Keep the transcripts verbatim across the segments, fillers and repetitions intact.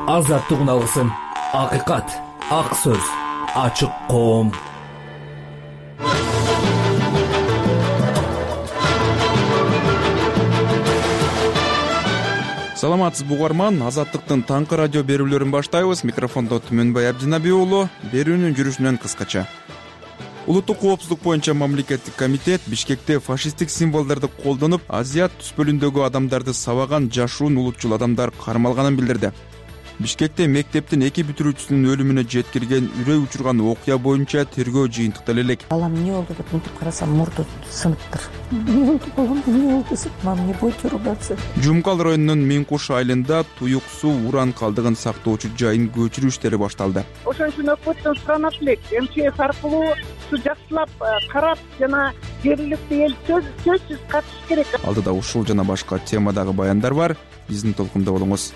азаттык алгысың, акыйкат, ак сөз, ачык коом. Саламатсызбы угарман, Азаттыктын таңкы радио берүүлөрүн баштайбыз. Микрофондо Түмөнбай Абдинаби уулу. Берүүнүн жүрүшүнөн кыскача. Улуттук коопсуздук боюнча мамлекеттик комитет Бишкекте фашисттик символдорду колдонуп, Азият түз бөлүндөгү адамдарды сабаган жашуун улутчул адамдар кармалганын билдирди. Бишкекте мектептин эки бүтүрүүчүсүнүн өлүмүнө жеткирген үрөй учурган окуя боюнча тергөө жыйынтыктала элек. Балам эмне болду деп мынтип карасам, мурду сыныптыр. Эмне болду балам, эмне болду десем, мам эмне бойтур убатсы. Жумкал районунун Миңкуш айылында туюк суу уран калдыгын сактоочу жайын көчүрүү иштери башталды. Ошон үчүн өкмөттөн суранат элек, эм че эс аркылуу ушу жакшылап карап жана жергиликтүү эл сөзсүз катышыш керек. Алдыда ушул жана башка темадагы баяндар бар. Биздин толкунда болуңуз.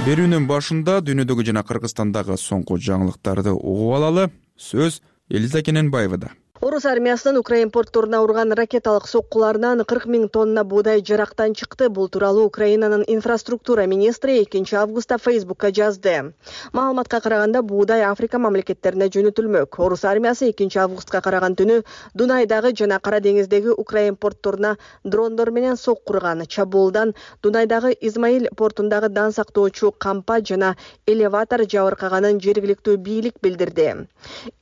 Берүүнүн башында дүйнөдөгү жана Кыргызстандагы соңку жаңылыктарды угуп алалы. Сөз Элиза Кененбаевада. Орус армиясынын Украин портторуна урган ракеталык соккуларынан кырк миң тонна буудай жарактан чыкты. Бул тууралуу Украинанын инфраструктура министри экинчи августта Фейсбукка жазды. Маалыматка караганда буудай Африка мамлекеттерине жөнөтүлмөк. Орус армиясы экинчи августка караган түнү Дунайдагы жана Кара деңиздеги Украин портторуна дрондор менен сокку урган. Чабуулдан Дунайдагы Измаил портундагы дан сактоочу кампа жана элеватор жабыркаганын жергиликтүү бийлик билдирди.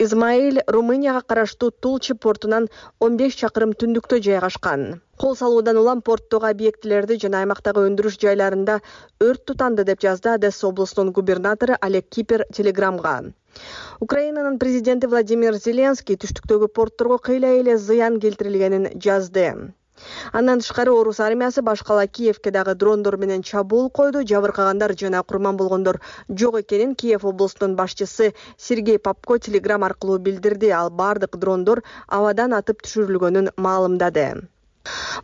Измаил Румынияга караштуу Тулчи портунан он беш чакырым түндүктө жайгашкан. Кол салуудан улам порттогу объектилерди жана аймактагы өндүрүш жайларында өрт тутанды деп жазды Одесса облусунун губернатору Олег Кипер телеграмга. Украинанын президенти Владимир Зеленский түштүктөгү портторго кыйла эле зыян келтирилгенин жазды. Андан тышкары Орус армиясы башкала Киевке дагы дрондор менен чабуул койду. Жабыркагандар жана курман болгондор жок экенин Киев облусунун башчысы Сергей Попко телеграм аркылуу билдирди. Ал бардык дрондор абадан атып түшүрүлгөнүн маалымдады.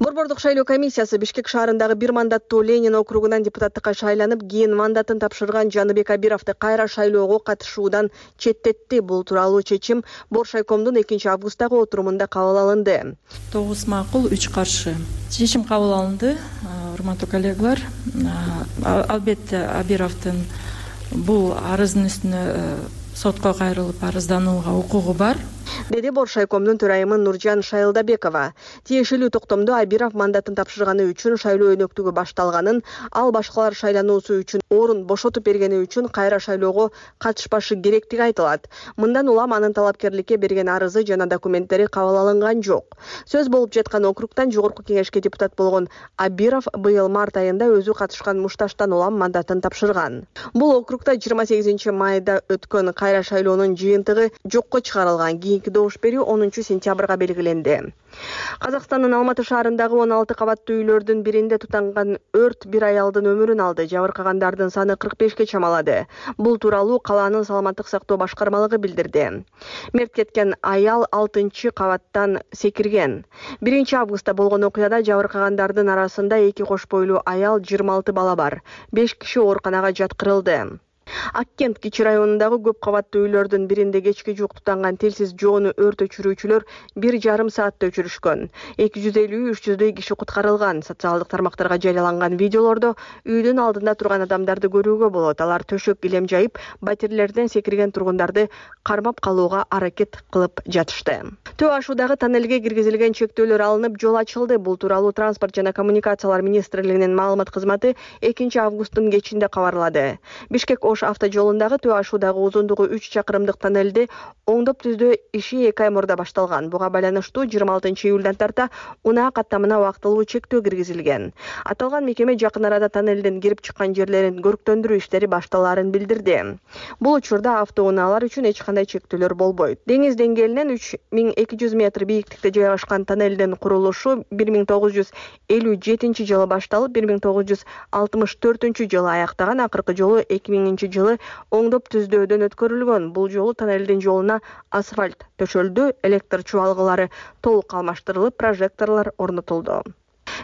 Борбордук шайлоо комиссиясы Бишкек шаарындагы бир мандаттуу Ленин округунан депутаттыкка шайланып, кийин мандатын тапшырган Жаныбек Абировду кайра шайлоого катышуудан четтетти. Бул тууралуу чечим Боршайкомдун экинчи августтагы отурумунда кабыл алынды. тогуз макул, үч каршы. Чечим кабыл алынды. Урматтуу коллегалар, албетте Абировдун бул арыздын үстүнө сотко кайрылып арызданууга укугу бар, деди Боршайкомдун төрайымы Нуржан Шайлдабекова. Тиешелүү токтомдо Абиров мандатын тапшырганы үчүн шайлоо өнөктүгү башталганын, ал башкалар шайлануусу үчүн орун бошотуп бергени үчүн кайра шайлоого катышпашы керектиги айтылат. Мындан улам анын талапкерликке берген арызы жана документтери кабыл алынган жок. Сөз болуп жаткан округтан жогорку кеңешке депутат болгон Абиров быйыл март айында өзү катышкан мушташтан улам мандатын тапшырган. Бул округта жыйырма сегизинчи майда өткөн кайра шайлоонун жыйынтыгы жокко чыгарылган. Кийинки добуш берүү онунчу сентябрга белгиленди. Казакстандын Алматы шаарындагы он алты кабаттуу үйлөрдүн биринде тутанган өрт бир аялдын өмүрүн алды. Жабыркагандардын саны кырк бешке чамалады. Бул тууралуу калаанын саламаттык сактоо башкармалыгы билдирди. Мерт кеткен аял алтынчы кабаттан секирген. биринчи августта болгон окуяда жабыркагандардын арасында эки кош бойлуу аял, жыйырма алты бала бар. беш киши ооруканага жаткырылды. Аккент Кичи районундагы көп кабаттуу үйлөрдүн биринде кечки жуук тутанган телсиз жоону өрт өчүрүүчүлөр бир жарым саатта өчүрүшкөн. эки жүз элүү үч жүздөй киши куткарылган. Социалдык тармактарга жарыяланган видеолордо үйдүн алдында турган адамдарды көрүүгө болот. Алар төшөк килем жайып, батирлерден секирген тургундарды кармап калууга аракет кылып жатышты. Төө ашуудагы тоннелге киргизилген чектөөлөр алынып, жол ачылды. Бул тууралуу Транспорт жана коммуникациялар министрлигинин маалымат кызматы экинчи августтун кечинде кабарлады. Бишкек автожолундагы Төө ашуудагы узундугу үч чакырымдык тоннелди оңдоп түздөө иши эки ай мурда башталган. Буга байланыштуу жыйырма алтынчы июлдан тарта унаа каттамына убактылуу чектөө киргизилген. Аталган мекеме жакын арада тоннелден кирип чыккан жерлерин көрктөндүрүү иштери башталаарын билдирди. Бул учурда автоунаалар үчүн эч кандай чектөөлөр болбойт. Деңиз деңгээлинен үч миң эки жүз метр бийиктикте жайгашкан тоннелдин курулушу бир миң тогуз жүз элүү жетинчи жылы башталып, бир миң тогуз жүз алтымыш төртүнчү жылы аяктаган. Акыркы жолу эки миңинчи жылы оңдоп түздөөдөн өткөрүлгөн. Бул жолу тоннелдин жолуна асфальт төшөлдү, электр чубалгылары толук алмаштырылып, прожекторлор орнотулду.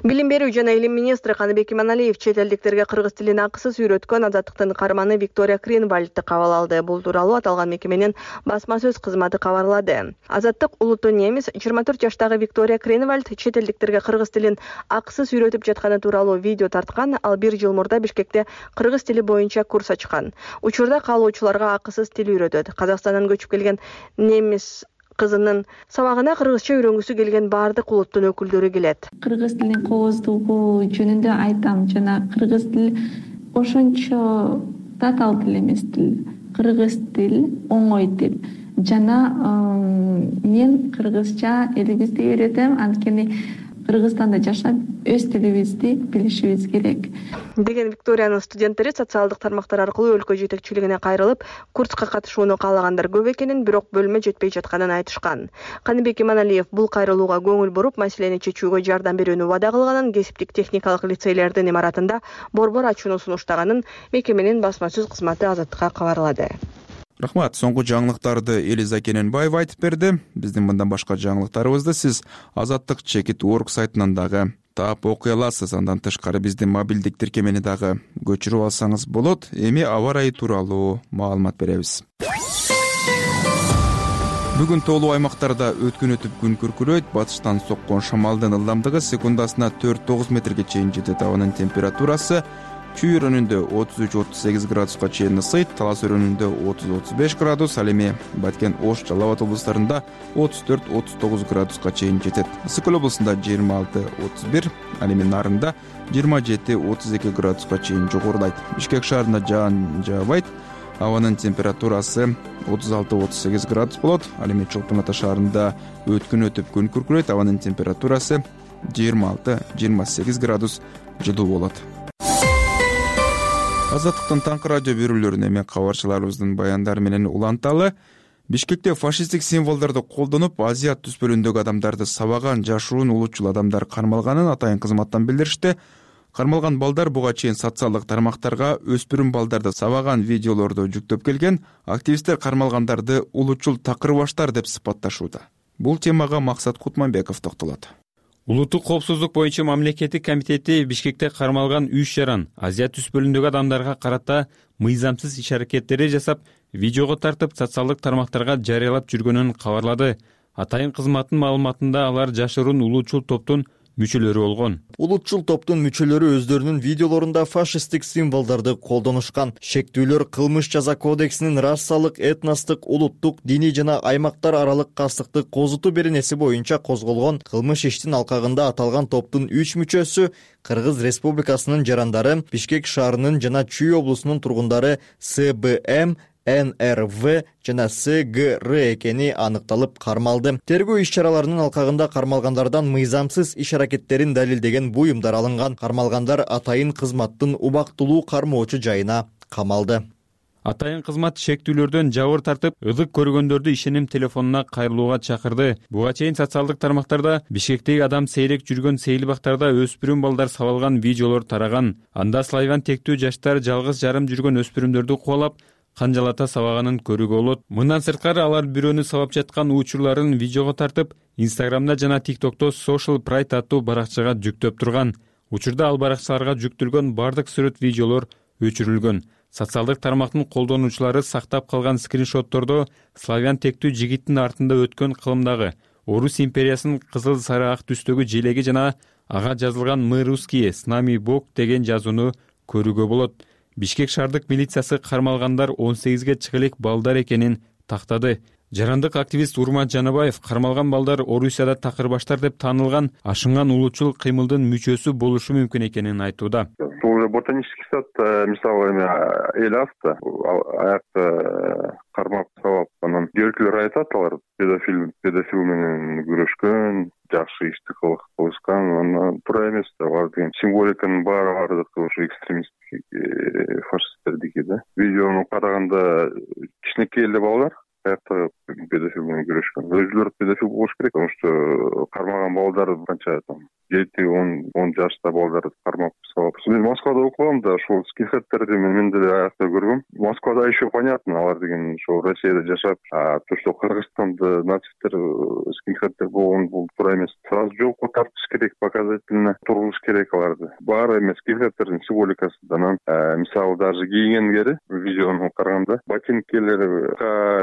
Билим берүү жана илим министри Каныбек Иманалиев чет элдиктерге кыргыз тилин акысыз үйрөткөн Азаттыктын каарманы Виктория Кринвальдти кабыл алды. Бул тууралуу аталган мекеменин басма сөз кызматы кабарлады. Азаттык улуттуу немис жыйырма төрт жаштагы Виктория Кринвальд чет элдиктерге кыргыз тилин акысыз үйрөтүп жатканы тууралуу видео тарткан. Ал бир жыл мурда Бишкекте кыргыз тили боюнча курс ачкан. Учурда каалоочуларга акысыз тил үйрөтөт. Казакстандан көчүп келген немис кызынын сабагына кыргызча үйрөнгүсү келген баардык улуттун өкүлдөрү келет. Кыргыз тилинин кооздугу жөнүндө айтам, жана кыргыз тил ошончо татаал тил эмес тил. Кыргыз тил оңой тил. Жана мен кыргызча элибизди үйрөтөм, анткени Кыргызстанда жашап, өз тилибизди билишибиз керек. Деген Викториянын студенттери социалдык тармактар аркылуу өлкө жетекчилигине кайрылып, курска катышууну каалагандар көп экенин, бирок бөлмө жетпей жатканын айтышкан. Каныбек Иманалиев бул кайрылууга көңүл буруп, маселени чечүүгө жардам берүүнү убада кылганын, кесиптик техникалык лицейлердин имаратында борбор ачууну сунуштаганын мекеменин басма сөз кызматы Азаттыкка кабарлады. Рахмат. Соңку жаңылыктарды Элиза Кененбаева айтып берди. Биздин мындан башка жаңылыктарыбызды сиз Азаттык чекит точка орг сайтынан дагы таап окуй аласыз. Андан тышкары биздин мобилдик тиркемени дагы көчүрүп алсаңыз болот. Эми аба ырайы тууралуу маалымат беребиз. Бүгүн тоолуу аймактарда өткөн өтүп күн күркүрөйт. Батыштан соккон шамалдын ылдамдыгы секундасына төрт тогуз метрге чейин жетет. Абанын температурасы Чүй районунда отуз үч отуз сегиз градуска чейин ысыйт, Талас районунда отуз отуз беш градус, ал эми Баткен, Ош, Жалал Абад облустарында отуз төрт отуз тогуз градуска чейин жетет. Ысык Көл облусунда жыйырма алты отуз бир, ал эми Нарында жыйырма жети отуз эки градуска чейин жогорулайт. Бишкек шаарында жаан жаабайт. Абанын температурасы отуз алты отуз сегиз градус болот. Ал эми Чолпон Ата шаарында өткөн өтүп күн күркүрөйт. Абанын температурасы жыйырма алты жыйырма сегиз градус жылуу болот. Азаттыктын таңкы радио берүүлөрүн эми кабарчыларыбыздын баяндары менен уланталы. Бишкекте фашисттик символдорду колдонуп, Азия түспөлүндөгү адамдарды сабаган жашыруун улутчул адамдар кармалганын атайын кызматтан билдиришти. Кармалган балдар буга чейин социалдык тармактарга өспүрүм балдарды сабаган видеолорду жүктөп келген. Активисттер кармалгандарды улутчул такырбаштар деп сыпатташууда. Бул темага Максат Кутманбеков токтолот. Улуттук коопсуздук боюнча мамлекеттик комитети Бишкекте кармалган үч жаран Азия түспөлүндөгү адамдарга карата мыйзамсыз иш-аракеттери жасап, видеого тартып, социалдык тармактарга жарыялап жүргөнүн кабарлады. Атайын кызматтын маалыматында алар жашыруун улутчул топтун мүчөлөрү болгон. Улутчул топтун мүчөлөрү өздөрүнүн видеолорунда фашисттик символдорду колдонушкан. Шектүүлөр кылмыш жаза кодексинин расалык, этностук, улуттук, диний жана аймактар аралык кастыкты козутуу беренеси боюнча козголгон кылмыш иштин алкагында аталган топтун үч мүчөсү Кыргыз Республикасынын жарандары, Бишкек шаарынын жана Чүй облусунун тургундары С Б М, Н Р В жана С Г Р экени аныкталып кармалды. Тергөө иш-чараларынын алкагында кармалгандардан мыйзамсыз иш-аракеттерин далилдеген буюмдар алынган. Кармалгандар атайын кызматтын убактылуу кармоочу жайына камалды. Атайын кызмат шектүүлөрдөн жабыр тартып, ызык көргөндөрдү ишеним телефонуна кайрылууга чакырды. Буга чейин социалдык тармактарда Бишкектеги адам сейрек жүргөн сейилбактарда өспүрүм балдар сабалган видеолор тараган. Анда славян тектүү жаштар жалгыз жарым жүргөн өспүрүмдөрдү кубалап, канжалата сабаганын көрүүгө болот. Мындан сырткары алар бирөөнү сабап жаткан учурларын видеого тартып, Инстаграмда жана ТикТокто Social Pride аттуу баракчага жүктөп турган. Учурда ал баракчаларга жүктөлгөн бардык сүрөт видеолор өчүрүлгөн. Социалдык тармактын колдонуучулары сактап калган скриншоттордо славян тектүү жигиттин артында өткөн кылымдагы Орус империясынын кызыл сары ак түстөгү желеги жана ага жазылган «Мы русские, с нами Бог» деген жазууну көрүүгө болот. Бишкек шаардык милициясы кармалгандар он сегизге чыга элек балдар экенин тактады. Жарандык активист Урмат Жанабаев кармалган балдар Орусияда такырбаштар деп таанылган ашынган улутчул кыймылдын мүчөсү болушу мүмкүн экенин айтууда. Бул ботанический сад мисалы эми эл аста аякта кармап сабап анан көркүлөр айтат, алар педофил педофил менен күрөшкөн, жакшы ишти кылышкан, анан туура эмес да, алар деген символиканын баары бардык ушу экстремисттик фашисттердики да. Видеону караганда кичинекей эле балдар аякта педофил менен күрөшкөн. Өзүлөрү педофил болуш керек, потому что кармаган балдар канча там жети он он жашта балдарды кармап салып. Мен Москвада окугам да, ошол скинхедтерди мен деле аякта көргөм. Москвада еще понятно, алар деген ошо Россияда жашап, а то, что Кыргызстанда нацисттер, скинхедтер болгон, бул туура эмес. Сразу жолко тартыш керек, показательно тургуш керек аларды. Баары эмес, скинхедтердин символикасы да. Анан мисалы даже кийгендери видеону караганда ботинкелери,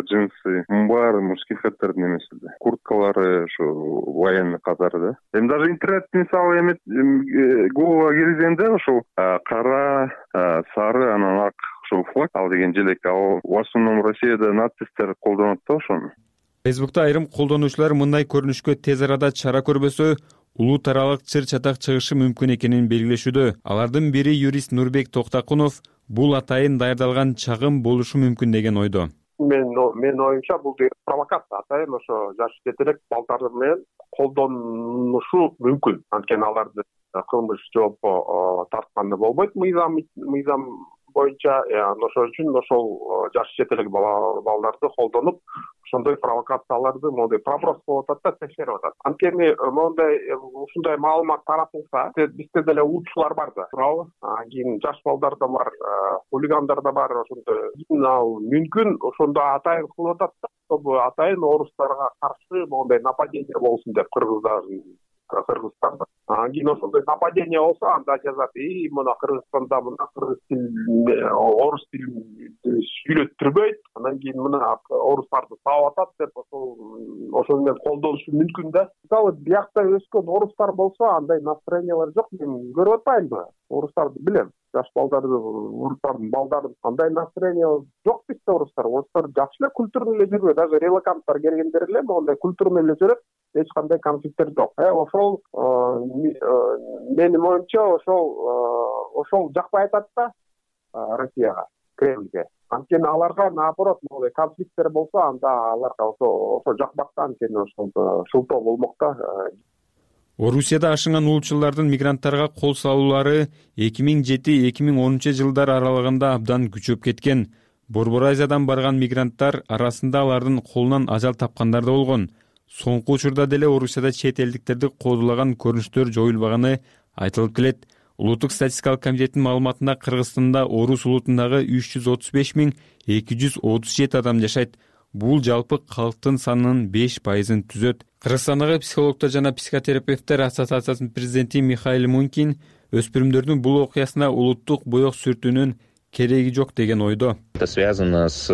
джинсы, баары скинхедтердин эмес эле. Курткалары ошо военный катары да. Эми даже интернет мисалы эме Google киргизгенде ошол кара, сары, анан ак ошол флаг ал деген желек, ал в основном Россияда нацисттер колдонот да ошону. Фейсбукта айрым колдонуучулар мындай көрүнүшкө тез арада чара көрбөсө улут аралык чыр чатак чыгышы мүмкүн экенин белгилешүүдө. Алардын бири юрист Нурбек Токтакунов бул атайын даярдалган чагым болушу мүмкүн деген ойдо. Мен мен оюмча бул провокация, атайын ошо жаш жетелек балдар менен колдонушу мүмкүн. Анткени аларды кылмыш жоопко тартканда болбойт мыйзам мыйзам боюнча. Ошол үчүн ошол жаш жетелек балдарды колдонуп, ошондой провокацияларды моундай проброс болуп атат да, текшерип атат. Анткени моундай ушундай маалымат таратылса, бизде деле улутчулар бар да, туурабы? Кийин жаш балдар да бар, хулигандар да бар, ошондой ал мүмкүн ошондо атайын кылып атат да, чтобы атайын орустарга каршы моундай нападение болсун деп кыргыздардын Кыргызстанда. Кийин ошондой нападение болсо, анда жазат, и мына Кыргызстанда мына кыргыз тил, орус тилин сүйлөттүрбөйт, анан кийин мына орустарды сабап атат деп ошол ошол менен колдонушу мүмкүн да. Мисалы, биякта өскөн орустар болсо, андай настроениялар жок, мен көрүп атпаймынбы? Орустарды билем. Жаш балдарды, орустардын балдарын андай настроение жок бизде орустар. Орустар жакшы эле культурный эле жүрөт, даже релоканттар келгендер эле моундай культурный эле жүрөт. Эч кандай конфликттер жок. Э, ошол менин оюмча ошол ошол жакпай атат да Россияга, Кремльге. Анткени аларга наоборот моундай конфликттер болсо, анда аларга ошо ошо жакпак да, анткени ошол шылтоо болмок да. Орусияда ашынган улутчулардын мигранттарга кол салуулары эки миң жети эки миң онунчу жылдар аралыгында абдан күчөп кеткен. Борбор Азиядан барган мигранттар арасында алардын колунан ажал тапкандар да болгон. Соңку учурда деле Орусияда чет элдиктерди кодулаган көрүнүштөр жоюлбаганы айтылып келет. Улуттук статистикалык комитеттин маалыматында Кыргызстанда орус улутундагы үч жүз отуз беш миң эки жүз отуз жети адам жашайт. Бул жалпы калктын санынын беш пайызын түзөт. Кыргызстандагы психологдор жана психотерапевттер ассоциациясынын президенти Михаил Мункин өспүрүмдөрдүн бул окуясына улуттук боек сүртүүнүн кереги жок деген ойдо. Это связано с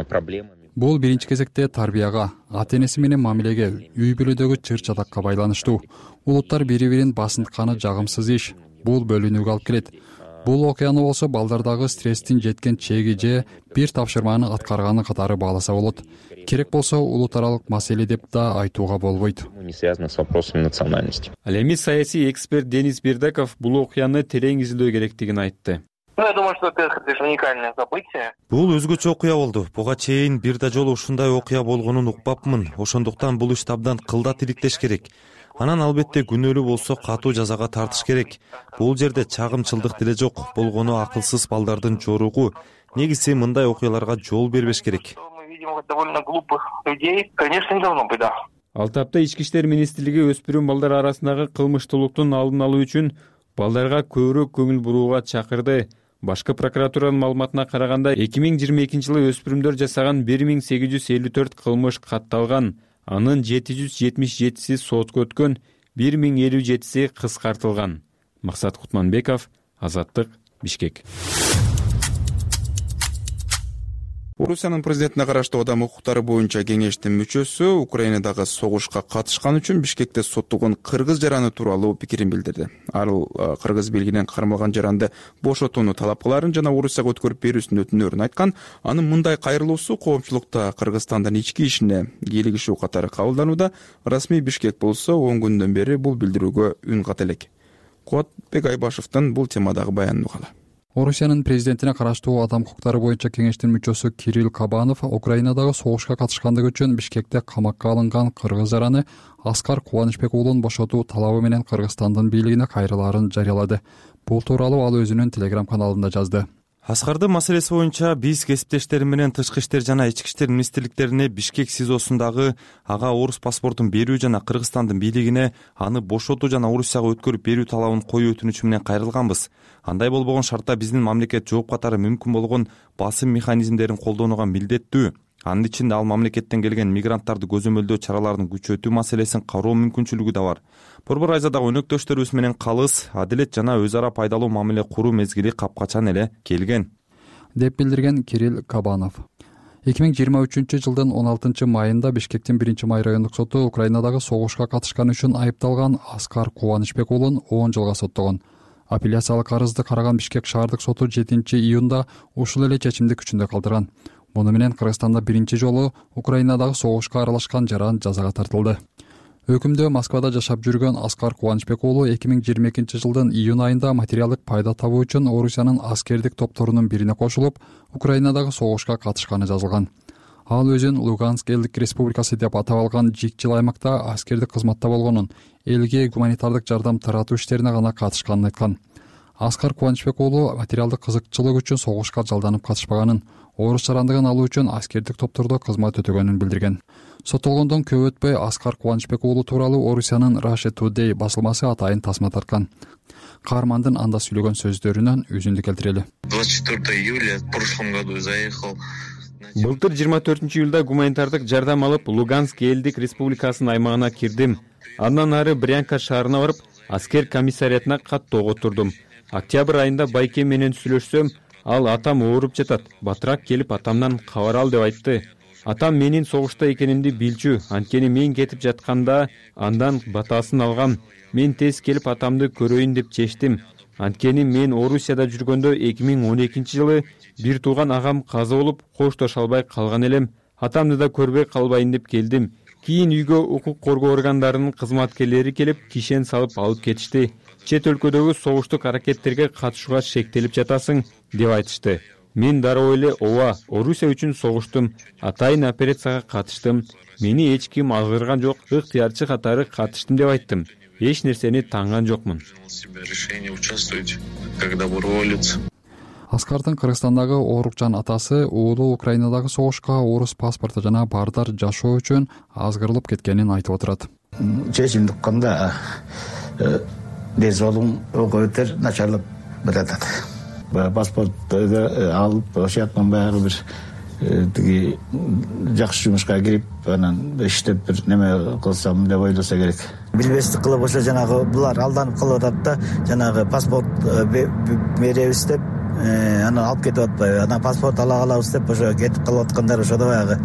проблемами. Бул биринчи кезекте тарбияга, ата-энеси менен мамилеге, үй бүлөдөгү чыр чатакка байланыштуу. Улуттар бири-бирин басынтканы жагымсыз иш. Бул бөлүнүүгө алып келет. Бул окуяны болсо балдардагы стресстин жеткен чеги же бир тапшырманы аткарганы катары бааласа болот. Керек болсо улут аралык маселе деп да айтууга болбойт. Не связано с вопросами национальности. Ал эми саясий эксперт Денис Бердаков бул окуяны терең изилдөө керектигин айтты. Ну, я думаю, что это уникальное событие. Бул өзгөчө окуя болду. Буга чейин бир да жолу ушундай окуя болгонун укпапмын. Ошондуктан бул ишти абдан кылдат иликтеш керек. Анан албетте күнөөлүү болсо катуу жазага тартыш керек. Бул жерде чагымчылдык деле жок. Болгону акылсыз балдардын жоругу. Негизи мындай окуяларга жол бербеш керек. Мы видим довольно глупых людей. Конечно, не должно быть, да. Ал тапта Ички иштер министрлиги өспүрүм балдар арасындагы кылмыштуулуктун алдын алуу үчүн балдарга көбүрөөк көңүл бурууга чакырды. Башкы прокуратуранын маалыматына караганда эки миң жыйырма экинчи жылы өспүрүмдөр жасаган бир миң сегиз жүз элүү төрт кылмыш катталган. Анын жети жүз жетимиш жетиси сотко өткөн, бир миң элүү жетиси кыскартылган. Максат Кутманбеков, Азаттык, Бишкек. Орусиянын президентине караштуу адам укуктары боюнча кеңештин мүчөсү Украинадагы согушка катышкан үчүн Бишкекте соттолгон кыргыз жараны тууралуу пикирин билдирди. Ал кыргыз бийлигинен кармалган жаранды бошотууну талап кыларын жана Орусияга өткөрүп берүүсүн өтүнөрүн айткан. Анын мындай кайрылуусу коомчулукта Кыргызстандын ички ишине кийлигишүү катары кабылданууда. Расмий Бишкек болсо он күндөн бери бул билдирүүгө үн ката элек. Куатбек Айбашевдин бул темадагы баянын угалы. Орусиянын президентине караштуу адам укуктары боюнча кеңештин мүчөсү Кирилл Кабанов Украинадагы согушка катышкандыгы үчүн Бишкекте камакка алынган кыргыз жараны Аскар Кубанычбек уулун бошотуу талабы менен Кыргызстандын бийлигине кайрылаарын жарыялады. Бул тууралуу ал өзүнүн Telegram каналында жазды. Аскардын маселеси боюнча биз кесиптештерим менен Тышкы иштер жана Ички иштер министрликтерине Бишкек СИЗОсундагы ага орус паспортун берүү жана Кыргызстандын бийлигине аны бошотуу жана Орусияга өткөрүп берүү талабын коюу өтүнүчү менен кайрылганбыз. Андай болбогон шартта биздин мамлекет жооп катары мүмкүн болгон басым механизмдерин колдонууга милдеттүү. Анын ичинде ал мамлекеттен келген мигранттарды көзөмөлдөө чараларын күчөтүү маселесин кароо мүмкүнчүлүгү да бар. Борбор Айзадагы өнөктөштөрүбүз менен калыс, адилет жана өз ара пайдалуу мамиле куруу мезгили капкачан эле келген, деп билдирген Кирилл Кабанов. эки миң жыйырма үчүнчү жылдын он алтынчы майында Бишкектин биринчи май райондук соту Украинадагы согушка катышканы үчүн айыпталган Аскар Кубанычбек уулун он жылга соттогон. Апелляциялык арызды караган Бишкек шаардык соту жетинчи июнда ушул эле чечимди күчүндө калтырган. Муну менен Кыргызстанда биринчи жолу Украинадагы согушка аралашкан жаран жазага тартылды. Өкүмдө Москвада жашап жүргөн Аскар Кубанычбек уулу эки миң жыйырма экинчи жылдын июнь айында материалдык пайда табуу үчүн Орусиянын аскердик топторунун бирине кошулуп, Украинадагы согушка катышканы жазылган. Ал өзүн Луганск элдик республикасы деп атап алган жик жыл аймакта аскердик кызматта болгонун, элге гуманитардык жардам таратуу иштерине гана катышканын айткан. Аскар Кубанычбек уулу материалдык кызыкчылык үчүн согушка жалданып катышпаганын, орус жарандыгын алуу үчүн аскердик топтордо кызмат өтөгөнүн билдирген. Соттолгондон көп өтпөй Аскар Кубанычбек уулу тууралуу Орусиянын Russia Today басылмасы атайын тасма тарткан. Каармандын анда сүйлөгөн сөздөрүнөн үзүндү келтирели. двадцать четвёртого июля в прошлом году заехал. Былтыр жыйырма төртүнчү июлда гуманитардык жардам алып Луганск элдик республикасынын аймагына кирдим. Андан ары Брянка шаарына барып, аскер комиссариятына кат тоготурдум. Октябрь айында байке менен сүйлөшсөм, ал атам ооруп жатат, батыраак келип атамдан кабар ал деп айтты. Атам менин согушта экенимди билчү, анткени мен кетип жатканда андан батасын алгам. Мен тез келип атамды көрөйүн деп чечтим. Анткени мен Орусияда жүргөндө эки миң он экинчи жылы бир тууган агам каза болуп, коштоша албай калган элем. Атамды да көрбөй калбайын деп келдим. Кийин үйгө укук коргоо органдарынын кызматкерлери келип, кишен салып алып кетишти. Чет өлкөдөгү согуштук аракеттерге катышууга шектелип жатасың деп айтышты. Мен дароо эле ооба, Орусия үчүн согуштум, атайын операцияга катыштым. Мени эч ким алгырган жок, ыктыярчы катары катыштым деп айттым. Эч нерсени танган жокмун. Аскардын Кыргызстандагы оорукчан атасы уулу Украинадагы согушка орус паспорту жана бардар жашоо үчүн азгырылып кеткенин айтып отурат. Чечимди укканда дез балым ого өтөр начарлап жатат. Паспортту алып, ошол жактан баары бир тиги жакшы жумушка кирип, анан иштеп бир неме кылсам деп ойлосо керек. Билбестик кылып ошо жанагы булар алданып калып атат да, жанагы паспорт беребиз деп, анан алып кетип атпайбы, анан паспорт ала калабыз деп ошо кетип калып аткандар ошодо баягы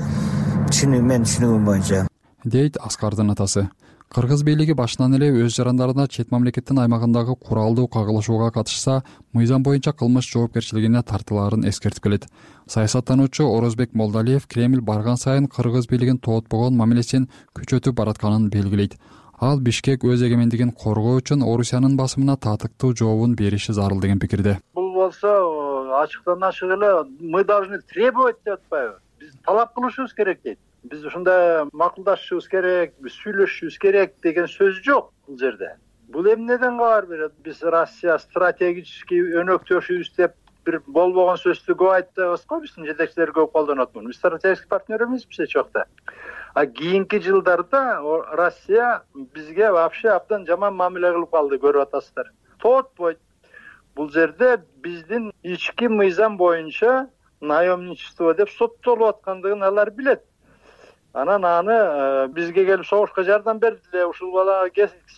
түшүнүү мен түшүнүгүм боюнча, дейт Аскардын атасы. Кыргыз бийлиги башынан эле өз жарандарына чет мамлекеттин аймагындагы куралдуу кагылышууга катышса, мыйзам боюнча кылмыш жоопкерчилигине тартылаарын эскертип келет. Саясаттануучу Орозбек Молдалиев Кремль барган сайын кыргыз бийлигин тоотпогон мамилесин күчөтүп баратканын белгилейт. Ал Бишкек өз эгемендигин коргоо үчүн Орусиянын басымына татыктуу жообун бериши зарыл деген пикирде. Бул болсо ачыктан ачык эле мы должны требовать деп атпайбы? Биз талап кылышыбыз керек дейт. Биз ушундай макулдашышыбыз керек, биз сүйлөшүшүбүз керек деген сөз жок бул жерде. Бул эмнеден кабар берет? Биз Россия стратегический өнөктөшүбүз деп бир болбогон сөздү көп айтабыз го, биздин жетекчилер көп колдонот муну. Биз стратегический партнер эмеспиз эч жакта. А кийинки жылдарда Россия бизге вообще абдан жаман мамиле кылып калды, көрүп атасыздар. Тоотпойт. Бул жерде биздин ички мыйзам боюнча наемничество деп соттолуп аткандыгын алар билет. Анан аны бизге келип согушка жардам берди, ушул бала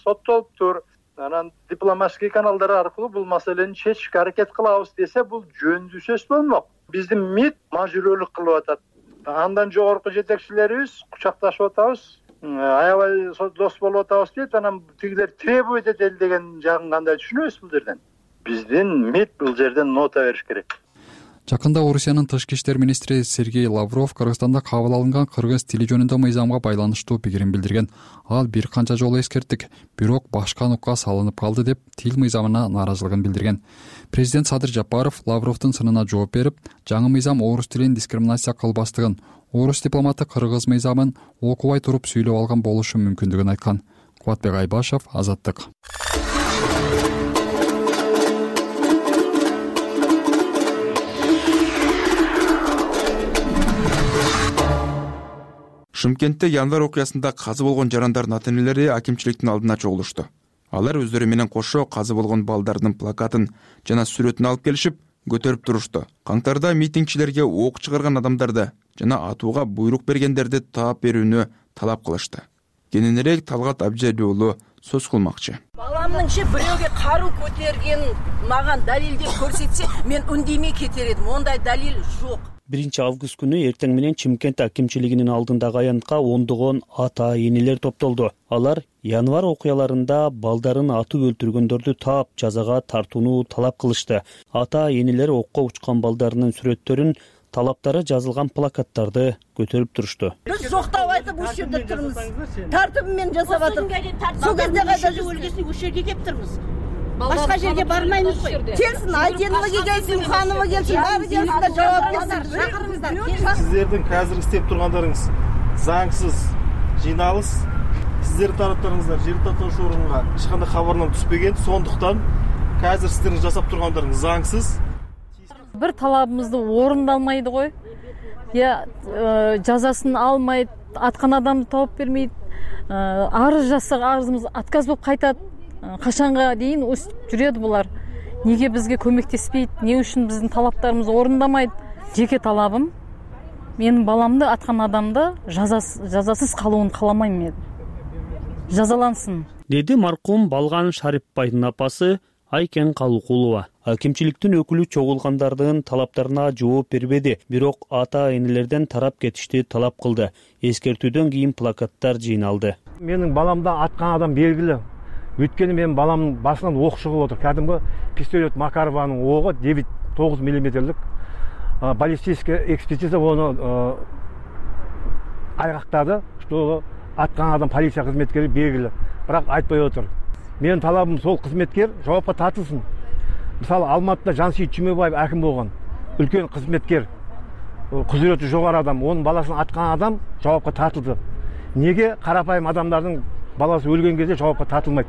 соттолуптур. Анан дипломатический каналдар аркылуу бул маселени чечишке аракет кылабыз десе, бул жөндүү сөз болмок. Биздин МИД мажүрөлүк кылып атат. Андан жогорку жетекчилерибиз кучакташып атабыз, аябай дос болуп атабыз дейт. Анан тигилер требовать этели деген жагын кандай түшүнөбүз бул жерден? Биздин МИД бул жерден нота бериш керек. Жакында Орусиянын тышкы иштер министри Сергей Лавров Кыргызстанда кабыл алынган кыргыз тили жөнүндө мыйзамга байланыштуу пикирин билдирген. Ал бир канча жолу эскерттик, бирок башка нукка салынып калды деп тил мыйзамына нааразылыгын билдирген. Президент Садыр Жапаров Лавровдун сынына жооп берип, жаңы мыйзам орус тилин дискриминация кылбастыгын, орус дипломаты кыргыз мыйзамын окубай туруп сүйлөп алган болушу мүмкүндүгүн айткан. Кубатбек Айбашев, Азаттык. Шымкентте январь окуясында казы болгон жарандардын ата энелери акимчиликтин алдына чогулушту. Алар өздөрү менен кошо казы болгон балдардын плакатын жана сүрөтүн алып келишип, көтөрүп турушту. Каңтарда митингчилерге ок чыгарган адамдарды жана атууга буйрук бергендерди таап берүүнү талап кылышты. Кененирээк Талгат Абжали уулу сөз кылмакчы. Баламныңчы бирөөгө каруу көтөрген мага далилдеп көрсөтсө, мен үндемей кетер эдим. Ондай далил жок. биринчи август күнү эртең менен Чымкент акимчилигинин алдындагы аянтка ондогон ата энелер топтолду. Алар январь окуяларында балдарын атып өлтүргөндөрдү таап жазага тартууну талап кылышты. Ата энелер окко учкан балдарынын сүрөттөрүн, талаптары жазылган плакаттарды көтөрүп турушту. Биз жоктап айтып ушул жерде турмуз. Тартып менен жасап атып. Сол кезде кайда өлгөсү ушул жерге кеп турмуз. Башка жерге бармайбыз го. Келсин, айтенлыгы келсин, ханымы келсин, баары келсин да жооп берсин. Чакырыңыздар. Сиздердин казыр иштеп тургандарыңыз заңсыз жыйналыс. Сиздердин тараптарыңыздар жер татыш орунга эч кандай кабарнама түспөгөн. Сондуктан казыр сиздердин жасап тургандарыңыз заңсыз. Бир талабыбызды орундалмайды го. Я жазасын алмайт, аткан адамды таап бермейт. Арыз жазсак арызыбыз отказ болуп кайтат. Качанга дейин өстүп жүрөдү булар. Неге бизге көмөктеспейт? Эмне үчүн биздин талаптарыбызды орундамайт? Жеке талабым, менин баламды аткан адамды жазасыз калуун кааламайм мен. Жазалансын, деди маркум Балган Шарипбайдын апасы Айкен Калукулова. Акимчиликтин өкүлү чогулгандардын талаптарына жооп бербеди, бирок ата энелерден тарап кетишти талап кылды. Эскертүүдөн кийин плакаттар жыйналды. Менин баламды аткан адам белгилүү. Өткені менің баламның басынан оқ шығып отыр. Кәдімгі пистолет Макарованың оғы девять тогуз миллиметрлік. Баллистическая экспертиза оны айғақтады, что атқан адам полиция қызметкері белгілі. Бірақ айтпай отыр. Менің талабым сол қызметкер жауапқа тартылсын. Мысалы, Алматыда Жансейіт Чүмебаев әкім болған. Үлкен қызметкер, құзыреті жоғары адам, оның баласын атқан адам жауапқа тартылды. Неге қарапайым адамдардың баласы өлген кезде жауапқа тартылмайды?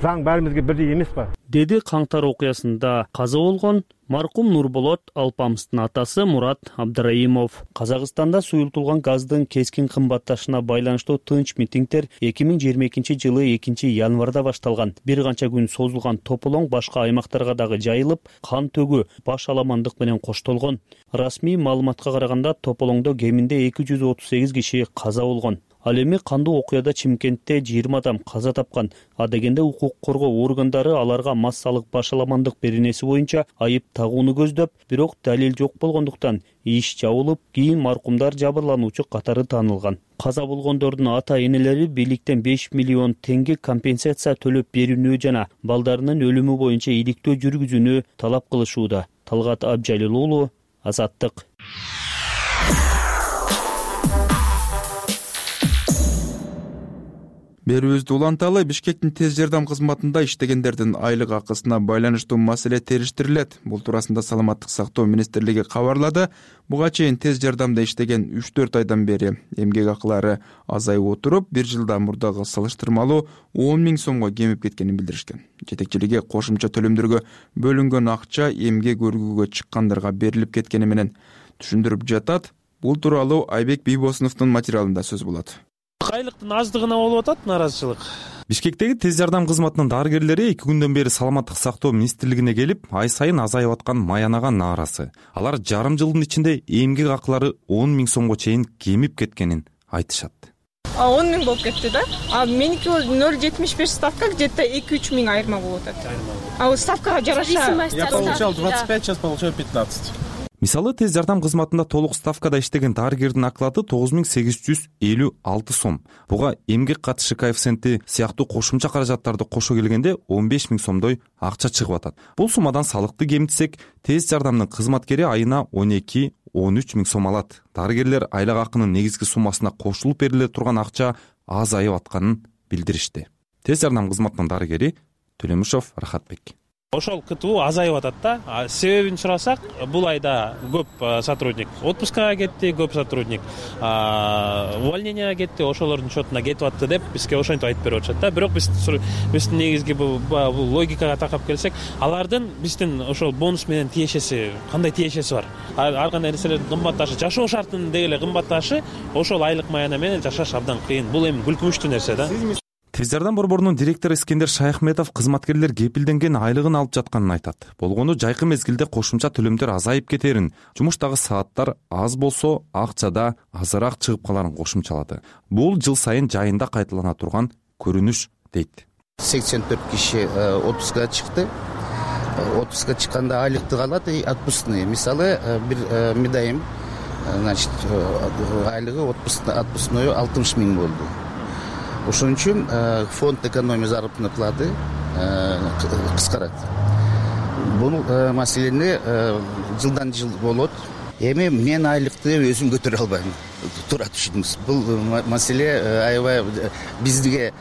Заң бәрімізге бірдей емес па? Деди каңтар окуясында каза болгон маркум Нурболот Алпамыстын атасы Мурат Абдыраимов. Казакстанда суюлтулган газдын кескин кымбатташына байланыштуу тынч митингдер эки миң жыйырма экинчи жылы экинчи январда башталган. Бир канча күн созулган тополоң башка аймактарга дагы жайылып, кан төгүү, баш аламандык менен коштолгон. Расмий маалыматка караганда тополоңдо кеминде эки жүз отуз сегиз киши каза болгон. Ал эми кандуу окуяда Чымкентте жыйырма адам каза тапкан. А дегенде укук коргоо органдары аларга массалык баш аламандык беренеси боюнча айып тагууну көздөп, бирок далил жок болгондуктан иш жабылып, кийин маркумдар жабырлануучу катары таанылган. Каза болгондордун ата энелери бийликтен беш миллион теңге компенсация төлөп берүүнү жана балдарынын өлүмү боюнча иликтөө жүргүзүүнү талап кылышууда. Талгат Абжалил уулу, Азаттык. Берүүбүздү уланталы. Бишкектин тез жардам кызматында иштегендердин айлык акысына байланыштуу маселе териштирилет. Бул туурасында Саламаттык сактоо министрлиги кабарлады. Буга чейин тез жардамда иштеген үч төрт айдан бери эмгек акылары азайып отуруп, бир жылдан мурдагы салыштырмалуу он миң сомго кемип кеткенин билдиришкен. Жетекчилиги кошумча төлөмдөргө бөлүнгөн акча эмгек өргүүгө чыккандарга берилип кеткени менен түшүндүрүп жатат. Бул тууралуу Айбек Бийбосуновдун материалында сөз болот. Айлыктын аздыгына болуп атат нааразычылык. Бишкектеги тез жардам кызматынын дарыгерлери эки күндөн бери Саламаттык сактоо министрлигине келип, ай сайын азайып аткан маянага нааразы. Алар жарым жылдын ичинде эмгек акылары он миң сомго чейин кемип кеткенин айтышат. он миң болуп кетти да. А меники ноль жетимиш беш ставка, где-то эки үч миң айырма болуп атат. А ставкага жараша. Я получал двадцать пять, сейчас получаю пятнадцать. Мисалы, тез жардам кызматында толук ставкада иштеген дарыгердин оклаты тогуз миң сегиз жүз элүү алты сом. Буга эмгек катышы коэффициенти сыяктуу кошумча каражаттарды кошо келгенде он беш миң сомдой акча чыгып атат. Бул суммадан салыкты кемитсек, тез жардамдын кызматкери айына он эки он үч миң сом алат. Дарыгерлер айлык акынын негизги суммасына кошулуп бериле турган акча азайып атканын билдиришти. Тез жардам кызматынын дарыгери Төлөмүшов Рахатбек. ошол кту азайып атат да. Себебин сурасак, бул айда көп сотрудник отпускага кетти, көп сотрудник увольненияга кетти, ошолордун счетуна кетип атты деп бизге ошентип айтып берип атышат да. Бирок биз биздин негизги бул логикага такап келсек, алардын биздин ошол бонус менен тиешеси кандай тиешеси бар? Ар кандай нерселердин кымбатташы, жашоо шартынын деги эле кымбатташы, ошол айлык маяна менен жашаш абдан кыйын. Бул эми күлкүнчтүү нерсе да. Тез жардам борборунун директору Искендер Шайхметов кызматкерлер кепилденген айлыгын алып жатканын айтат. Болгону жайкы мезгилде кошумча төлөмдөр азайып кетерин, жумуштагы сааттар аз болсо акчада азыраак чыгып каларын кошумчалады. Бул жыл сайын жайында кайталана турган көрүнүш дейт. сексен төрт киши отпускага чыкты. Отпускка чыкканда айлыкты алат и отпускные. Мисалы, бир медайым, значит, айлыгы отпускной алтымыш миң болду. Ошон үчүн фонд экономия заработной платы кыскарат. Бул маселени жылдан жыл болот. Эми мен айлыкты өзүм көтөрө албайм. Туура түшүндүңүз. Бул маселе аябай бизге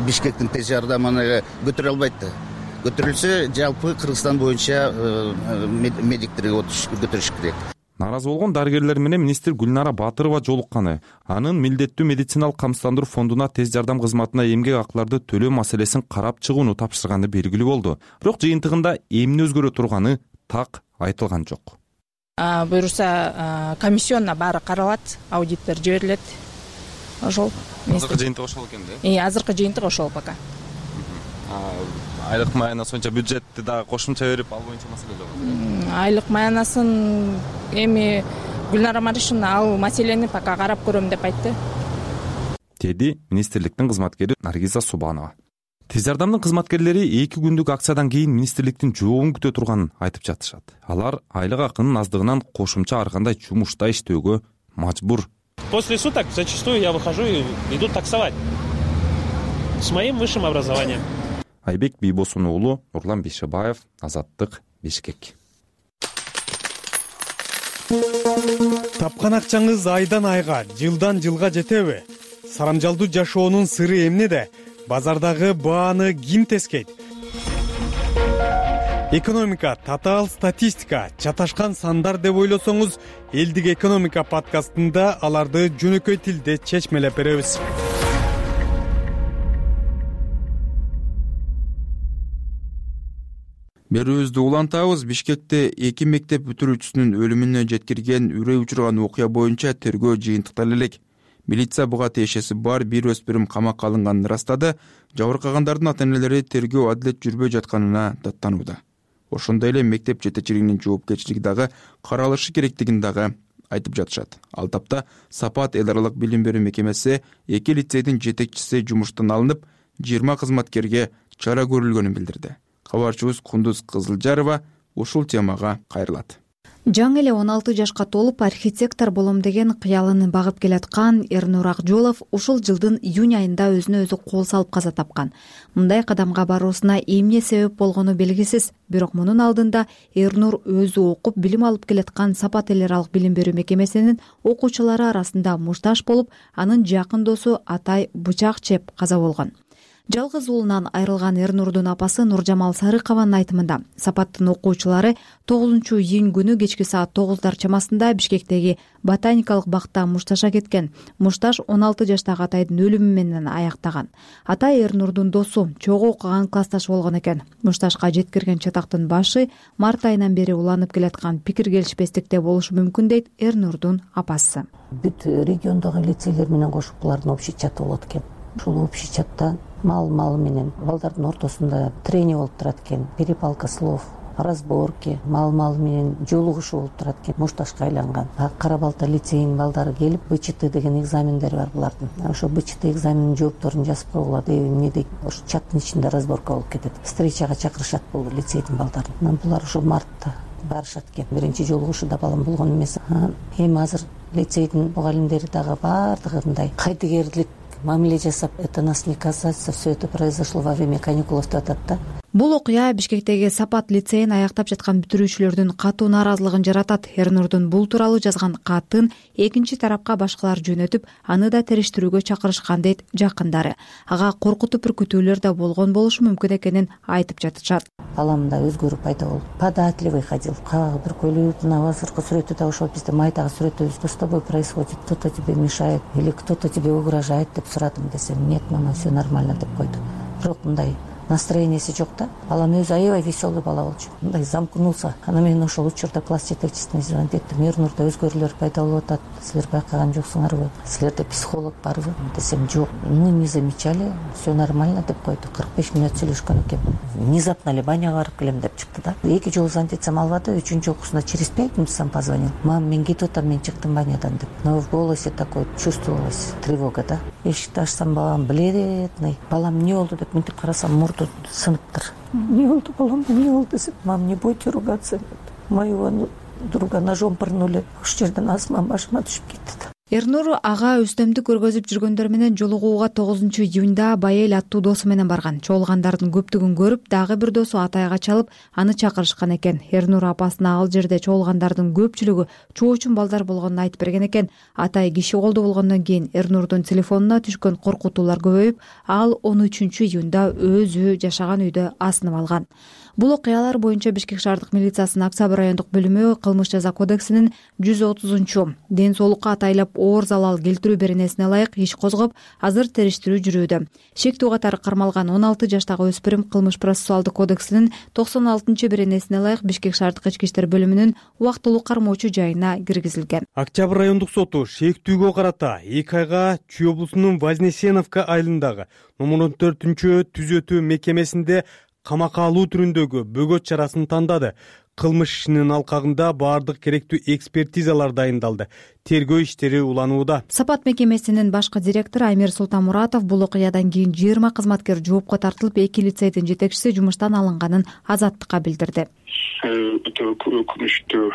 Бишкектин тез жардамына көтөрө албайт да. Көтөрүлсө, жалпы Кыргызстан боюнча медиктерге көтөрүш керек. Наразы болгон дарыгерлер менен министр Гүлнара Батырова жолукканы, анын милдеттүү медициналык камсыздандыруу фондуна тез жардам кызматына эмгек акыларды төлөө маселесин карап чыгууну тапшырганы белгилүү болду. Бирок жыйынтыгында эмне өзгөрө турганы так айтылган жок. Буюрса, комиссионна баары каралат, аудиттер жиберилет. Ошол. Азыркы жыйынтык ошол экен да? Э, азыркы жыйынтык ошол пока. Айлык маянасы боюнча бюджетти дагы кошумча берип, ал боюнча маселе жок. Айлык маянасын эми Гүлнара Маришевна ал маселени пока карап көрөм деп айтты. Деди министрликтин кызматкери Наргиза Субанова. Тез жардамдын кызматкерлери эки күндүк акциядан кийин министрликтин жообун күтө турганын айтып жатышат. Алар айлык акынын аздыгынан кошумча ар кандай жумушта иштөөгө мажбур. После суток зачастую я выхожу и иду таксовать с моим высшим образованием. Айбек Бийбосун уулу, Нурлан Бейшебаев, Азаттык, Бишкек. Тапкан акчаңыз айдан айга, жылдан жылга жетеби? Сарамжалдуу жашоонун сыры эмнеде? Базардагы бааны ким тескейт? Экономика, татаал статистика, чаташкан сандар деп ойлосоңуз, Элдик экономика подкастында аларды жөнөкөй тилде чечмелеп беребиз. Берүүбүздү улантабыз. Бишкекте эки мектеп бүтүрүүчүсүнүн өлүмүнө жеткирген үрөй учурган окуя боюнча тергөө жыйынтыкталып элек. Милиция буга тиешеси бар бир өспүрүм камакка алынганын ырастады. Жабыркагандардын ата-энелери тергөө адилет жүрбөй жатканына даттанууда. Ошондой эле мектеп жетекчилигинин жоопкерчилиги дагы каралышы керектигин дагы айтып жатышат. Ал тапта Сапат эл аралык билим берүү мекемеси эки лицейдин жетекчиси жумуштан алынып, жыйырма кызматкерге чара көрүлгөнүн билдирди. Кабарчыбыз Кундуз Кызылжарова ушул темага кайрылат. Жаңы эле он алты жашка толуп архитектор болом деген кыялын багып келаткан Эрнур Акжолов ушул жылдын июнь айында өзүнө өзү кол салып каза тапкан. Мындай кадамга баруусуна эмне себеп болгону белгисиз. Бирок мунун алдында Эрнур өзү окуп билим алып келаткан Сапат эл аралык билим берүү мекемесинин окуучулары арасында мушташ болуп, анын жакын досу Атай бычак чеп каза болгон. Жалгыз уулунан айрылган Эрнурдун апасы Нуржамал Сарыкованын айтымында, Сапаттын окуучулары тогузунчу июнь күнү кечки саат тогуздар чамасында Бишкектеги ботаникалык бакта мушташа кеткен. Мушташ он алты жаштагы Атайдын өлүмү менен аяктаган. Атай Эрнурдун досу, чогуу окуган классташ болгон экен. Мушташка жеткирген чатактын башы март айынан бери уланып келаткан пикир келишпестикте болушу мүмкүн дейт Эрнурдун апасы. Бүт региондогу лицейлер менен кошуп булардын общий чаты болот экен. Ушул общий чатта мал мал менен балдардын ортосунда трение болуп турат экен, перепалка слов, разборки, мал мал менен жолугушуу болуп турат экен. Мушташка айланган. Кара Балта лицейинин балдары келип бэ че тэ деген экзамендери бар булардын. Ошо бэ че тэ экзаменинин жоопторун жазып койгула деп эмне дейт, ошо чаттын ичинде разборка болуп кетет. Встречага чакырышат бул лицейдин балдарын. Булар ошо мартта барышат экен. Биринчи жолугушууда балам болгон эмес. Эми азыр лицейдин мугалимдери дагы баардыгы мындай кайдыгерлик мамиле жасап, это нас не касается, все это произошло во время каникулов деп атат да. Бул окуя Бишкектеги Сапат лицейин аяктап жаткан бүтүрүүчүлөрдүн катуу нааразылыгын жаратат. Эрнурдун бул тууралуу жазган катын экинчи тарапка башкалар жөнөтүп, аны да териштирүүгө чакырышкан дейт жакындары. Ага коркутуп үркүтүүлөр да болгон болушу мүмкүн экенин айтып жатышат. Баламда өзгөрүү пайда болду. Податливый ходил. Кагы бир көйлөгүнүн азыркы сүрөтү да ошол бизде майдагы сүрөтүбүз. Что с тобой происходит? Кто-то тебе мешает или кто-то тебе угрожает деп сурадым десем, нет, мама, все нормально деп койду. Бирок мындай настроенияси жок да. Балам өзү аябай веселый бала болчу. Мындай замкнулся. Ана мен ошол учурда класс жетекчисине звонить эттим. Эрнурда өзгөрүүлөр пайда болуп атат. Силер байкаган жоксуңарбы? Силерде психолог барбы? Десем, жок. Мы не замечали, все нормально деп койду. кырк беш мүнөт сүйлөшкөн экен. Внезапно эле баняга барып келем деп чыкты да. Эки жолу звонить этсем албады. Үчүнчү окуусунда через пять минут сам позвонил. Мам, мен кетип атам, мен чыктым банядан деп. Но в голосе такой чувствовалась тревога, да. Эшикти ачсам, балам бледный. Балам эмне болду деп мынтип карасам, мурду сыныптыр. Не болду, балам, не болду десем, мам, не будете ругаться. Моего друга ножом пырнули. Ошол жерден асман башыма түшүп кетти. Эрнур ага өстөмдүк көргөзүп жүргөндөр менен жолугууга тогузунчу июнда Байел аттуу досу менен барган. Чогулгандардын көптүгүн көрүп, дагы бир досу Атайга чалып, аны чакырышкан экен. Эрнур апасына ал жерде чогулгандардын көпчүлүгү чоочун балдар болгонун айтып берген экен. Атай киши колдуу болгондон кийин Эрнурдун телефонуна түшкөн коркутуулар көбөйүп, ал он үчүнчү июнда өзү жашаган үйдө асынып алган. Бул окуялар боюнча Бишкек шаардык милициясынын Октябрь райондук бөлүмү кылмыш жаза кодексинин жүз отузунчу ден соолукка атайлап оор залал келтирүү беренесине ылайык иш козгоп, азыр териштирүү жүрүүдө. Шектүү катары кармалган он алты жаштагы өспүрүм кылмыш процессуалдык кодексинин токсон алтынчы беренесине ылайык Бишкек шаардык ички иштер бөлүмүнүн убактылуу кармоочу жайына киргизилген. Октябрь райондук соту шектүүгө карата эки айга Чүй облусунун Вознесеновка айылындагы номер он төртүнчү түзөтүү мекемесинде камакка алуу түрүндөгү бөгөт чарасын тандады. Кылмыш ишинин алкагында баардык керектүү экспертизалар дайындалды. Тергөө иштери уланууда. Сапат мекемесинин башкы директору Амир Султанмуратов бул окуядан кийин жыйырма кызматкер жоопко тартылып, эки лицейдин жетекчиси жумуштан алынганын Азаттыкка билдирди. Өтө өкүнүчтүү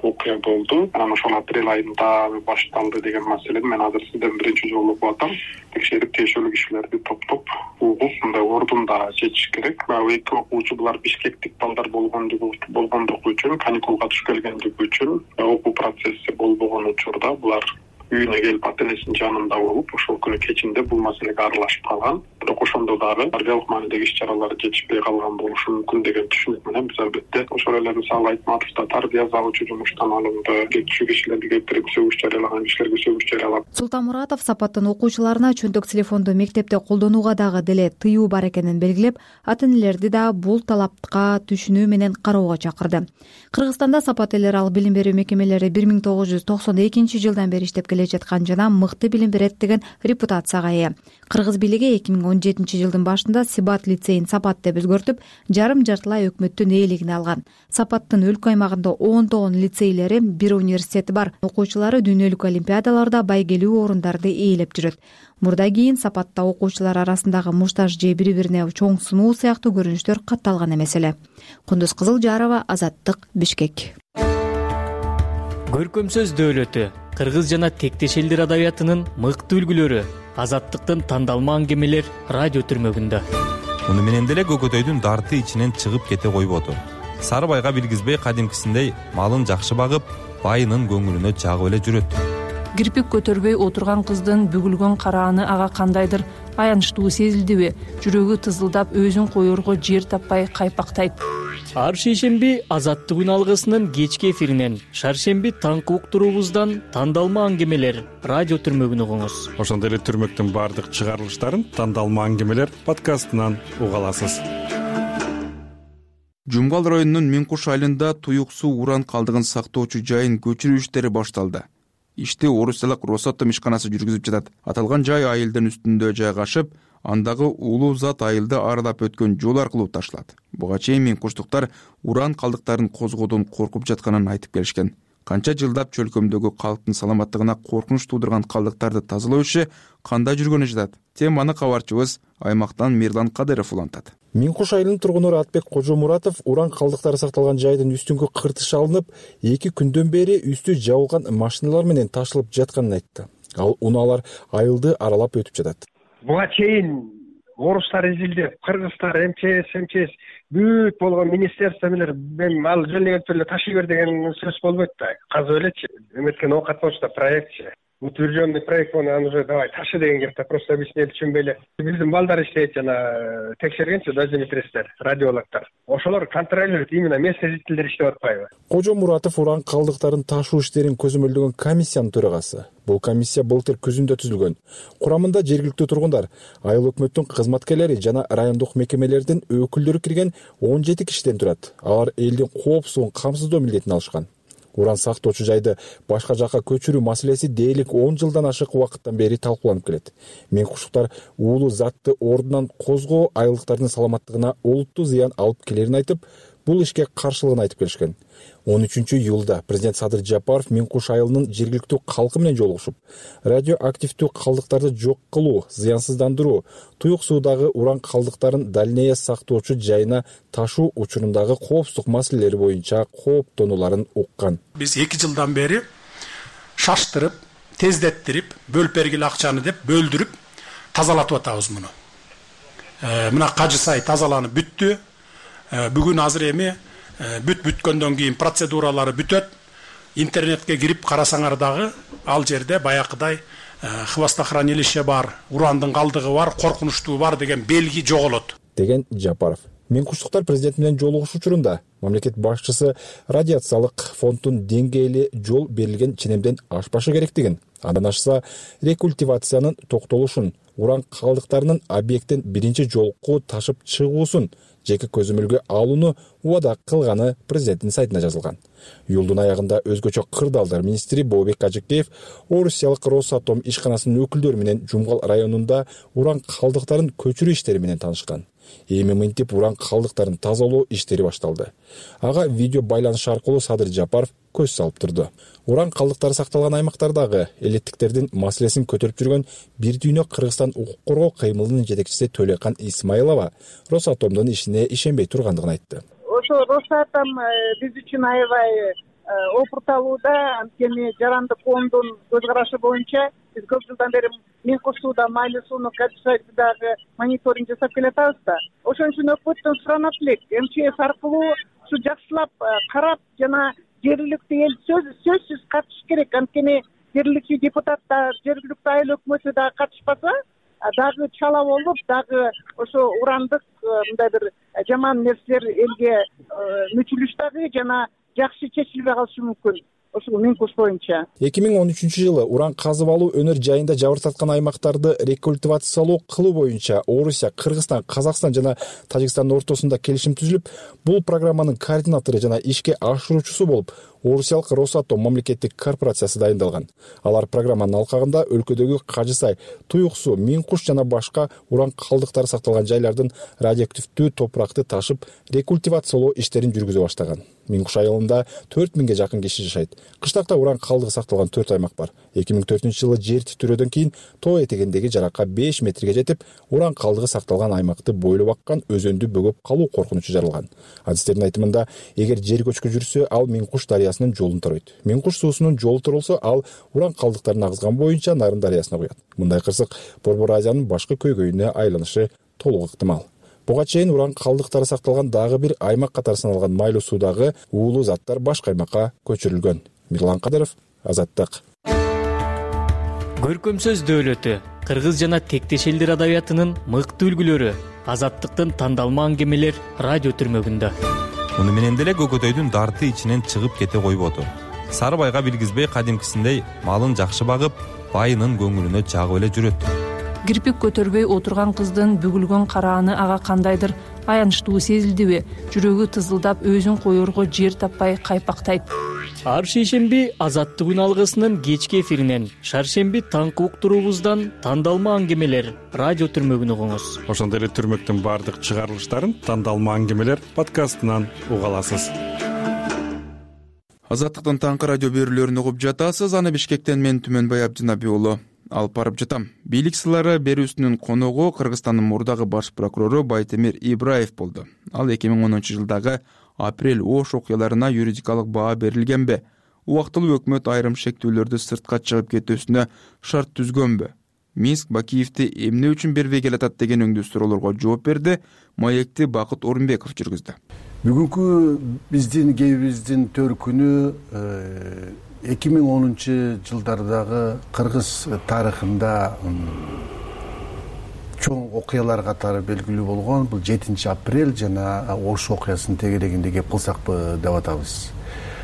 окуя болду. Анан ошол апрель айында башталды деген маселени мен азыр сизден биринчи жолу угуп атам. Текшерип тиешелүү кишилерди топтоп угуп, мындай ордунда чечиш керек. Эки окуучу булар бишкектик балдар болгондугу болгондугу үчүн, каникулга түшүп келгендиги үчүн, окуу процесси болбогон учурда булар үйүнө келип ата энесинин жанында болуп, ошол күнү кечинде бул маселеге аралашып калган. Бирок ошондо дагы тarbиялык маанидеги иш-чаралар жетишпей калган болушу мүмкүн деген түшүнүк менен биз албетте ошол эле мисалы Айтматовдо тарбия залчу жумуштан алынды, кетчү кишилерди келтирип сөгүш жарыялаган кишилерге сөгүш жарыялап. Султанмуратов Сапаттын окуучуларына чөнтөк телефонду мектепте колдонууга дагы деле тыюу бар экенин белгилеп, ата энелерди да бул талапка түшүнүү менен кароого чакырды. Кыргызстанда Сапат элерал билим берүү мекемелери бир миң тогуз жүз токсон экинчи жылдан бери иштеп келе жаткан жана мыкты билим берет деген репутацияга ээ. Кыргыз бийлиги эки миң он жетинчи жылдын башында Сибат лицейин Сапат деп өзгөртүп, жарым жартылай өкмөттүн ээлигине алган. Сапаттын өлкө аймагында ондогон лицейлери, бир университети бар. Окуучулары дүйнөлүк олимпиадаларда байгелүү орундарды ээлеп жүрөт. Мурда кийин Сапатта окуучулар арасындагы муштаж же бири-бирине чоң сынуу сыяктуу көрүнүштөр катталган эмес эле. Кундуз Кызылжарова, Азаттык, Бишкек. Көркөм сөз дөөлөтү, кыргыз жана тектеш элдер адабиятынын мыкты үлгүлөрү, Азаттыктын тандалма аңгемелер радио түрмөгүндө. Муну менен деле Көкөтөйдүн дарты ичинен чыгып кете койбоду. Сарыбайга билгизбей кадимкисиндей малын жакшы багып, байынын көңүлүнө жагып эле жүрөт. Кирпик көтөрбөй отурган кыздын бүгүлгөн карааны ага кандайдыр аянычтуу сезилдиби? Жүрөгү тызылдап, өзүн коерго жер таппай кайпактайт. Ар шейшемби Азаттык үн алгысынын кечки эфиринен, шаршемби таңкы уктуруубуздан тандалма аңгемелер радио түрмөгүн угуңуз. Ошондой эле түрмөктүн баардык чыгарылыштарын тандалма аңгемелер подкастынан уга аласыз. Жумгал районунун Миңкуш айылында туюк суу уран калдыгын сактоочу жайын көчүрүү иштери башталды. Ишти Орусиялык Росатом ишканасы жүргүзүп жатат. Аталган жай айылдын үстүндө жайгашып, андагы улуу зат айылды аралап өткөн жол аркылуу ташталат. Буга чейин Миңкуштуктар уран калдыктарын козгоодон коркуп жатканын айтып келишкен. Канча жылдап чөлкөмдөгү калктын саламаттыгына коркунуч туудурган калдыктарды тазалоо иши кандай жүргөнү жатат? Теманы кабарчыбыз аймактан Мирлан Кадыров улантат. Миңкуш айылынын тургуну Атбек Кожомуратов уран калдыктары сакталган жайдын үстүнгү кыртыш алынып, эки күндөн бери үстү жабылган машиналар менен ташылып жатканын айтты. Ал унаалар айылды аралап өтүп жатат. Буга чейин орустар изилдеп, кыргыздар, МЧС, МЧС бүт болгон министерство менен мен ал жөнөтүп эле ташый бер деген сөз болбойт да. Казып элечи. Эметкен оокат болчу проектчи. Утвержденный проект, он уже давай ташы деген кепте, просто объяснили түшүнбөй эле. Биздин балдар иштейт жана текшергенчи дозиметристтер, радиологдор. Ошолор контролирует, именно местный жителдер иштеп атпайбы. Кожо Муратов уран калдыктарын ташуу иштерин көзөмөлдөгөн комиссиянын төрагасы. Бул комиссия былтыр күзүндө түзүлгөн. Курамында жергиликтүү тургундар, айыл өкмөттүн кызматкерлери жана райондук мекемелердин өкүлдөрү кирген он жети кишиден турат. Алар элдин коопсуздугун камсыздоо милдетин алышкан. Уран сактоочу жайды башка жакка көчүрүү маселеси дээрлик он жылдан ашык убакыттан бери талкууланып келет. Менкуштуктар уулуу затты ордунан козгоо айылдыктардын саламаттыгына олуттуу зыян алып келерин айтып, бул ишке каршылыгын айтып келишкен. он үчүнчү июлда президент Садыр Жапаров Менкуш айылынын жергиликтүү калкы менен жолугушуп, радиоактивдүү калдыктарды жок кылуу, зыянсыздандыруу, туюк суудагы уран калдыктарын дальнее сактоочу жайына ташуу учурундагы коопсуздук маселелери боюнча кооптонууларын уккан. Биз эки жылдан бери шаштырып, тездеттирип, бөлүп бергиле акчаны деп бөлдүрүп тазалатып атабыз муну. Мына Кажы сай тазаланып бүттү. Бүгүн азыр эми бүт бүткөндөн кийин процедуралары бүтөт. Интернетке кирип карасаңар дагы ал жерде баякыдай хвостохранилище бар, урандын калдыгы бар, коркунучтуу бар деген белги жоголот, деген Жапаров. Менкуштуктар президент менен жолугуш учурунда мамлекет башчысы радиациялык фонддун деңгээли жол берилген ченемден ашпашы керектигин, андан ашса рекультивациянын токтолушун, уран калдыктарынын объекттен биринчи жолку ташып чыгуусун жеке көзөмөлгө алууну убада кылганы президенттин сайтында жазылган. Июлдун аягында өзгөчө кырдаалдар министри Бообек Ажыкеев Орусиялык Росатом ишканасынын өкүлдөрү менен Жумгал районунда уран калдыктарын көчүрүү иштери менен таанышкан. Эми мынтип уран калдыктарын тазалоо иштери башталды. Ага видео байланыш аркылуу Садыр Жапаров көз салып турду. Уран калдыктары сакталган аймактардагы элеттиктердин маселесин көтөрүп жүргөн Бир дүйнө Кыргызстан укук коргоо кыймылынын жетекчиси Төлөкан Исмаилова Росатомдун ишине ишенбей тургандыгын айтты. Ошо Росатом биз үчүн аябай опурталууда, анткени жарандык фонддун көз карашы боюнча биз көп жылдан бери Менкуш сууда майлуу сууну качествосундагы мониторинг жасап келатабыз да. Ошон үчүн өкмөттөн суранат элек, МЧС аркылуу ушу жакшылап карап жана жергиликтүү эл сөзсүз катышыш керек. Анткени жергиликтүү депутаттар, жергиликтүү айыл өкмөтү дагы катышпаса, дагы чала болуп, дагы ошо урандык мындай бир жаман нерселер элге мүчүлүш дагы жана жакшы чечилбей калышы мүмкүн. Ошол Менкуш боюнча эки миң он үчүнчү жылы уран казып алуу өнөр жайында жабыртаткан аймактарды рекультивациялоо кылуу боюнча Орусия, Кыргызстан, Казакстан жана Тажикстандын ортосунда келишим түзүлүп, бул программанын координатору жана ишке ашыруучусу болуп Орусиялык Росатом мамлекеттик корпорациясы дайындалган. Алар программанын алкагында өлкөдөгү Кажы сай, Туюк суу, Менкуш жана башка уран калдыктары сакталган жайлардын радиоактивдүү топуракты ташып рекультивациялоо иштерин жүргүзө баштаган. Менкуш айылында төрт миңге жакын киши жашайт. Кыштакта уран калдыгы сакталган төрт аймак бар. эки миң төртүнчү жылы жер титирөөдөн кийин тоо этегиндеги жаракка беш метрге жетип, уран калдыгы сакталган аймакты бойлоп аккан өзөндү бөгөп калуу коркунучу жаралган. Адистердин айтымында, эгер жер көчкү жүрсө, ал Менкуш дарыясынын жолун таройт. Менкуш суусунун жолу турулса, ал уран калдыктарын агызган боюнча Нарын дарыясына куят. Мындай кырсык Борбор Азиянын башкы көйгөйүнө айланышы толук ыктымал. Буга чейин уран калдыктары сакталган дагы бир аймак катары саналган майлуу суудагы уулуу заттар башка аймакка көчүрүлгөн. Мирлан Кадыров, Азаттык. Көркөм сөз дөөлөтү, кыргыз жана тектеш элдер адабиятынын мыкты үлгүлөрү, Азаттыктын тандалма аңгемелер радио түрмөгүндө. Муну менен деле Көкөтөйдүн дарты ичинен чыгып кете койбоду. Сары байга билгизбей кадимкисиндей малын жакшы багып, байынын көңүлүнө жагып эле жүрөт. Кирпик көтөрбөй отурган кыздын бүгүлгөн карааны ага кандайдыр аянычтуу сезилдиби? Жүрөгү тызылдап өзүн коерго жер таппай кайпактайт. Ар шейшемби Азаттык үн алгысынын кечки эфиринен, шаршемби таңкы уктуруубуздан тандалма аңгемелер радио түрмөгүн угуңуз. Ошондой эле түрмөктүн баардык чыгарылыштарын тандалма аңгемелер подкастынан уга аласыз. Азаттыктын таңкы радио берүүлөрүн угуп жатасыз. Аны Бишкектен мен Түмөнбай Абдинабий уулу алып барып жатам. Бийлик сыйлары берүүсүнүн коногу Кыргызстандын мурдагы баш прокурору Байтемир Ибраев болду. Ал эки миң онунчу жылдагы апрель Ош окуяларына юридикалык баа берилгенби? Убактылуу өкмөт айрым шектүүлөрдү сыртка чыгып кетүүсүнө шарт түзгөнбү? Минск Бакиевди эмне үчүн бербей келатат деген өңдүү суроолорго жооп берди. Маекти Бакыт Орунбеков жүргүздү. Бүгүнкү биздин кебибиздин төркүнү эки миң онунчу жылдардагы кыргыз тарыхында чоң окуялар катары белгилүү болгон бул жетинчи апрель жана Ош окуясынын тегерегинде кеп кылсакпы деп атабыз.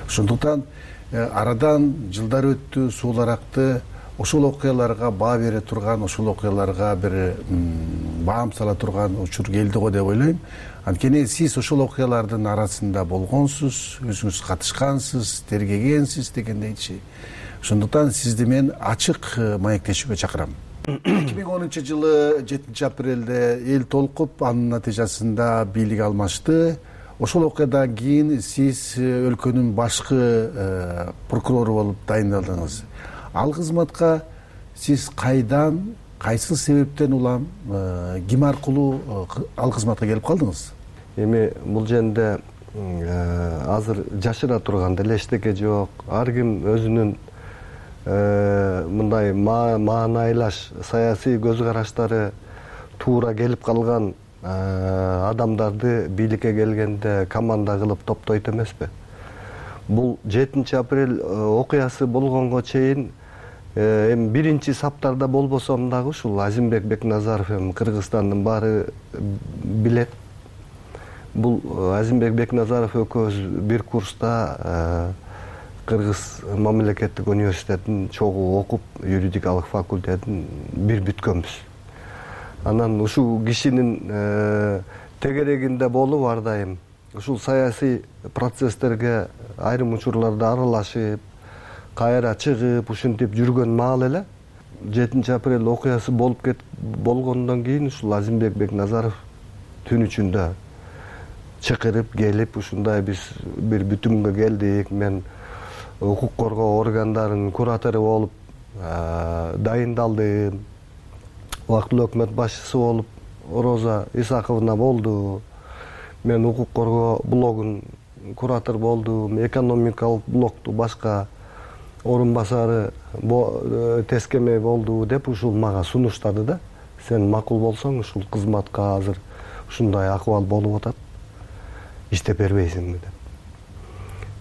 Ошондуктан арадан жылдар өттү, суулар акты. Ошол окуяларга баа бере турган, ошол окуяларга бир баам сала турган учур келди го деп ойлойм. Анткени сиз ошол окуялардын арасында болгонсуз, өзүңүз катышкансыз, тергегенсиз дегендейчи. Ошондуктан сизди мен ачык маектешүүгө чакырам. эки миң онунчу жылы жетинчи апрелде эл толкуп, анын натыйжасында бийлик алмашты. Ошол окуядан кийин сиз өлкөнүн башкы прокурору болуп дайындалдыңыз. Ал кызматка сиз кайдан, кайсы себептен улам, ким аркылуу ал кызматка келип калдыңыз? Эми бул жерде азыр жашыра турган деле эчтеке жок. Ар ким өзүнүн мындай маанайлаш саясий көз караштары туура келип калган адамдарды бийликке келгенде команда кылып топтойт эмеспи? Бул жетинчи апрель окуясы болгонго чейин эми биринчи саптарда болбосом дагы ушул Азимбек Бекназаров эми Кыргызстандын баары билет. Бул Азимбек Бекназаров экөөбүз бир курста Кыргыз мамлекеттик университетин чогуу окуп, юридикалык факультетин бир бүткөнбүз. Анан ушул кишинин тегерегинде болуп ар дайым ушул саясий процесстерге айрым учурларда аралашып, кайра чыгып, ушинтип жүргөн маал эле жетинчи апрель окуясы болуп кет болгондон кийин ушул Азимбек Бекназаров түн ичинде чакырып келип, ушундай биз бир бүтүмгө келдик. Мен укук коргоо органдарынын куратору болуп дайындалдым. Убактылуу өкмөт башчысы болуп Роза Исаковна болду. Мен укук коргоо блогун куратор болдум. Экономикалык блокту башка орун басары Тескемей болду деп ушул мага сунуштады да. Сен макул болсоң ушул кызматка азыр ушундай акыбал болуп атат. Иштеп бербейсиңби деп.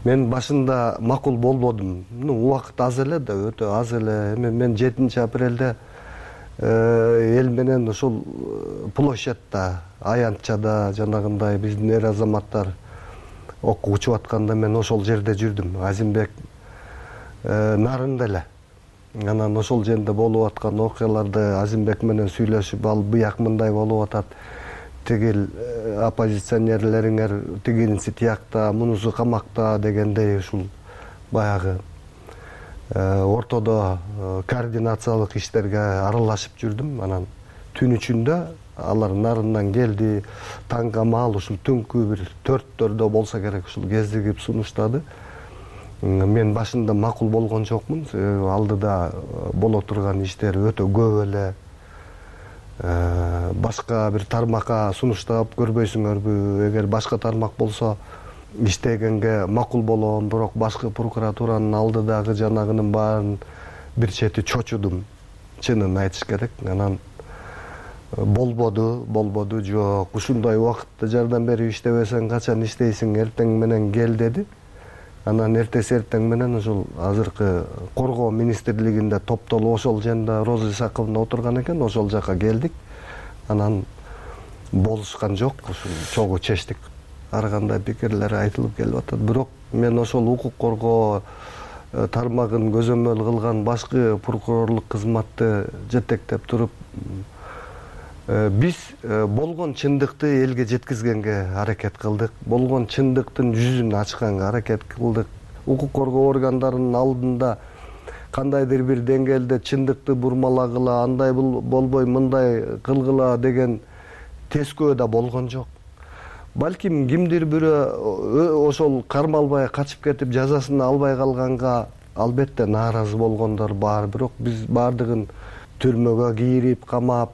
Мен башында макул болбодум. Ну, убакыт аз эле да, өтө аз эле. Эми мен жетинчи апрелде эл менен ошол площадьта, аянтчада жанагындай биздин эр азаматтар окуу учуп атканда мен ошол жерде жүрдүм. Азимбек нарында эле. Анан ошол жерде болуп аткан окуяларды Азимбек менен сүйлөшүп, ал бияк мындай болуп атат. Тигил оппозиционерлериңер тигинси тиякта, мунусу камакта дегендей ушул баягы ортодо координациялык иштерге аралашып жүрдүм. Анан түн ичинде алар нарындан келди, таңга маал ушул түнкү бир төрттөрдө болсо керек ушул кездигип сунуштады. Мен башында макул болгон жокмун. Алдыда боло турган иштер өтө көп эле. Башка бир тармакка сунуштап көрбөйсүңөрбү? Эгер башка тармак болсо иштегенге макул болом, бирок башкы прокуратуранын алдыдагы жанагынын баарын бир чети чочудум. Чынын айтыш керек. Анан болбоду, болбоду, жок. Ушундай убакытта жардам берип иштебесең качан иштейсиң, эртең менен кел деди. Анан эртеси эртең менен ушул азыркы коргоо министрлигинде топтолуп ошол жерде Роза Исаковна отурган экен, ошол жака келдик. Анан болушкан жок, ушул чогуу чечтик. Ар кандай пикирлер айтылып келип атат. Бирок мен ошол укук коргоо тармагын көзөмөл кылган башкы прокурорлук кызматты жетектеп туруп, биз болгон чындыкты элге жеткизгенге аракет кылдык. Болгон чындыктын жүзүн ачканга аракет кылдык. Укук коргоо органдарынын алдында кандайдыр бир деңгээлде чындыкты бурмалагыла, андай болбой мындай кылгыла деген тескөө да болгон жок. Балким кимдир бирөө ошол кармалбай качып кетип жазасын албай калганга албетте нааразы болгондор бар. Бирок биз баардыгын түрмөгө кийирип, камап,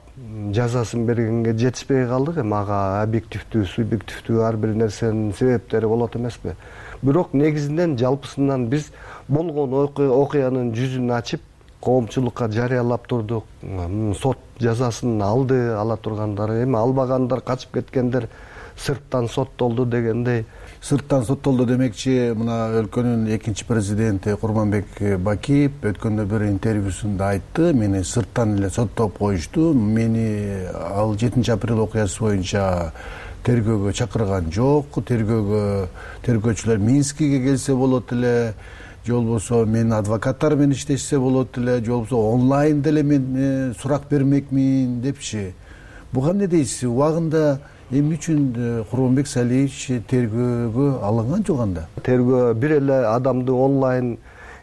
жазасын бергенге жетишпей калдык. Эми ага объективдүү, субъективдүү ар бир нерсенин себептери болот эмеспи? Бирок негизинен жалпысынан биз болгон окуянын жүзүн ачып, коомчулукка жарыялап турдук. Сот жазасын алды ала тургандары, эми албагандар, качып кеткендер сырттан соттолду дегендей. Сырттан соттолду демекчи, мына өлкөнүн экинчи президенти Курманбек Бакиев өткөндө бир интервьюсунда айтты, мени сырттан эле соттоп коюшту, мени ал жетинчи апрель окуясы боюнча тергөөгө чакырган жок, тергөөгө тергөөчүлөр Минскиге келсе болот эле, же болбосо менин адвокаттар менен иштешсе болот эле, же болбосо онлайн деле мен сурак бермекмин депчи. Буга эмне дейсиз? Убагында эмне үчүн Курманбек Салиевич тергөөгө алынган жок анда? Тергөө бир эле адамды онлайн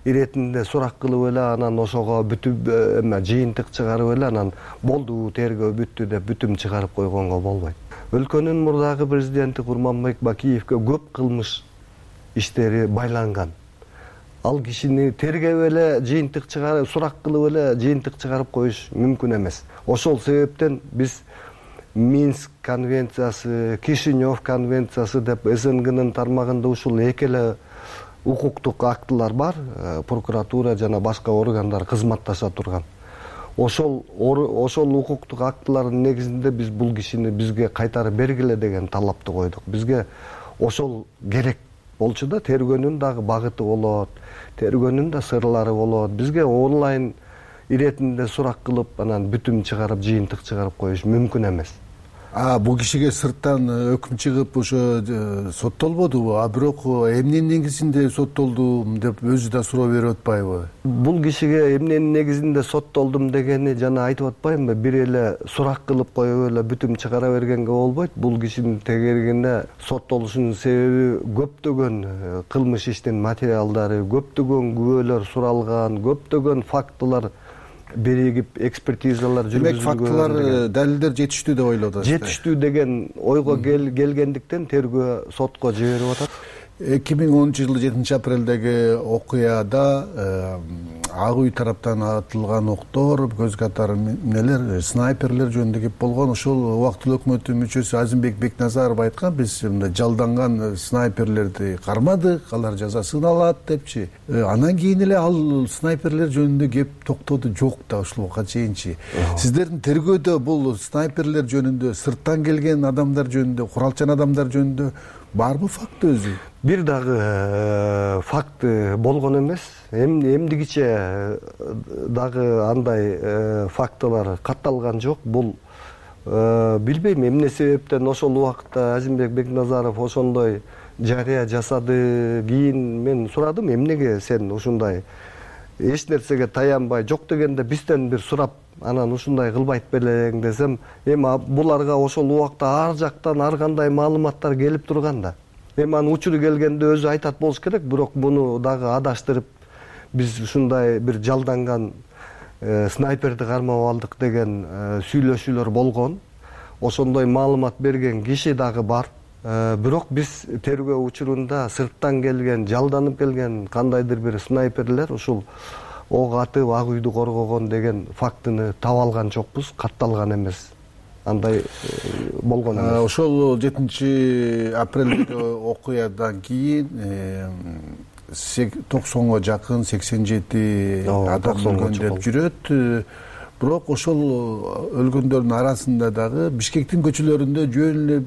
иретинде сурак кылып эле, анан ошого бүтүп эме жыйынтык чыгарып эле, анан болду тергөө бүттү деп бүтүм чыгарып койгонго болбойт. Өлкөнүн мурдагы президенти Курманбек Бакиевке көп кылмыш иштери байланган. Ал кишини тергеп эле жыйынтык чыгарып, сурак кылып эле жыйынтык чыгарып коюш мүмкүн эмес. Ошол себептен биз Минск конвенциясы, Кишинев конвенциясы деп эс эн гнын тармагында ушул эки эле укуктук актылар бар, прокуратура жана башка органдар кызматташа турган. Ошол ошол укуктук актылардын негизинде биз бул кишини бизге кайтарып бергиле деген талапты койдук. Бизге ошол керек болчу да, тергөөнүн дагы багыты болот, тергөөнүн да сырлары болот. Бизге онлайн иретинде сурак кылып, анан бүтүм чыгарып, жыйынтык чыгарып коюш мүмкүн эмес. А бул кишиге сырттан өкүм чыгып ошо соттолбодубу? А бирок эмненин негизинде соттолдум деп өзү да суроо берип атпайбы? Бул кишиге эмненин негизинде соттолдум дегени жана айтып атпаймынбы? Бир эле сурак кылып коюп эле бүтүм чыгара бергенге болбойт. Бул кишинин тегерегинде соттолушунун себеби көптөгөн кылмыш иштин материалдары, көптөгөн күбөлөр суралган, көптөгөн фактылар биригип экспертизалар жүргүзүлгөн. Демек фактылар, далилдер жетиштүү деп ойлоп атасыз? Жетиштүү деген ойго келгендиктен тергөө сотко жиберип атат. эки миң онунчу жылы жетинчи апрелдеги окуяда ак үй тараптан атылган октор, көз катары эмнелер, снайперлер жөнүндө кеп болгон. Ошол убактылуу өкмөттүн мүчөсү Азимбек Бекназаров айткан, биз мындай жалданган снайперлерди кармадык, алар жазасын алат депчи. Анан кийин эле ал снайперлер жөнүндө кеп токтоду жок да ушул убакка чейинчи. Сиздердин тергөөдө бул снайперлер жөнүндө, сырттан келген адамдар жөнүндө, куралчан адамдар жөнүндө барбы факт өзү? Бир дагы факт болгон эмес. Эмдигиче дагы андай фактылар катталган жок. Бул билбейм эмне себептен ошол убакта Азимбек Бекназаров ошондой жарыя жасады. Кийин мен сурадым, эмнеге сен ушундай эч нерсеге таянбай, жок дегенде бизден бир сурап, анан ушундай кылбайт белең десем, эми буларга ошол убакта ар жактан ар кандай маалыматтар келип турган да. Эми анын учуру келгенде өзү айтат болуш керек, бирок буну дагы адаштырып, биз ушундай бир жалданган снайперди кармап алдык деген сүйлөшүүлөр болгон. Ошондой маалымат берген киши дагы бар. Бирок биз тергөө учурунда сырттан келген, жалданып келген кандайдыр бир снайперлер ушул ок атып ак үйдү коргогон деген фактыны таба алган жокпуз, катталган эмес. Андай болгон эмес. Ошол жетинчи апрелдеги окуядан кийин токсонго жакын сексен жети адам өлгөн деп жүрөт. Бирок ошол өлгөндөрдүн арасында дагы Бишкектин көчөлөрүндө жөн эле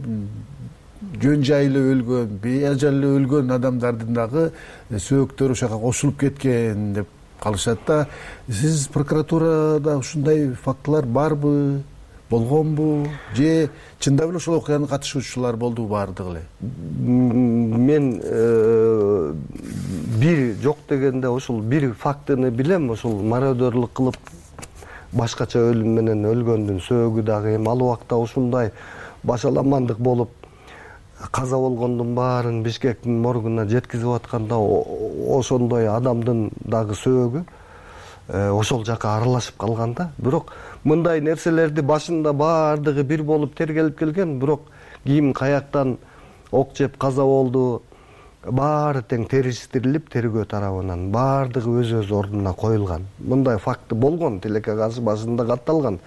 жөн жайлы өлгөн, бейажайлы өлгөн адамдардын дагы сөөктөрү ошого кошулуп кеткен деп калышат да. Сиз прокуратурада ушундай фактылар барбы, болгонбу, же чындап эле ошол окуянын катышуучулар болдубу баардыгы эле? Мен бир жок дегенде ошол бир фактыны билем, ошол мародерлук кылып башкача өлүм менен өлгөндүн сөөгү дагы эми ал убакта ушундай башаламандык болуп каза болгондун баарын Бишкектин моргуна жеткизип атканда ошондой адамдын дагы сөөгү ошол жака аралашып калган да. Бирок мындай нерселерди башында баардыгы бир болуп тергелип келген, бирок ким каяктан ок жеп каза болду, баары тең териштирилип тергөө тарабынан баардыгы өз өз ордуна коюлган. Мындай факты болгон, тилекке каршы башында катталган.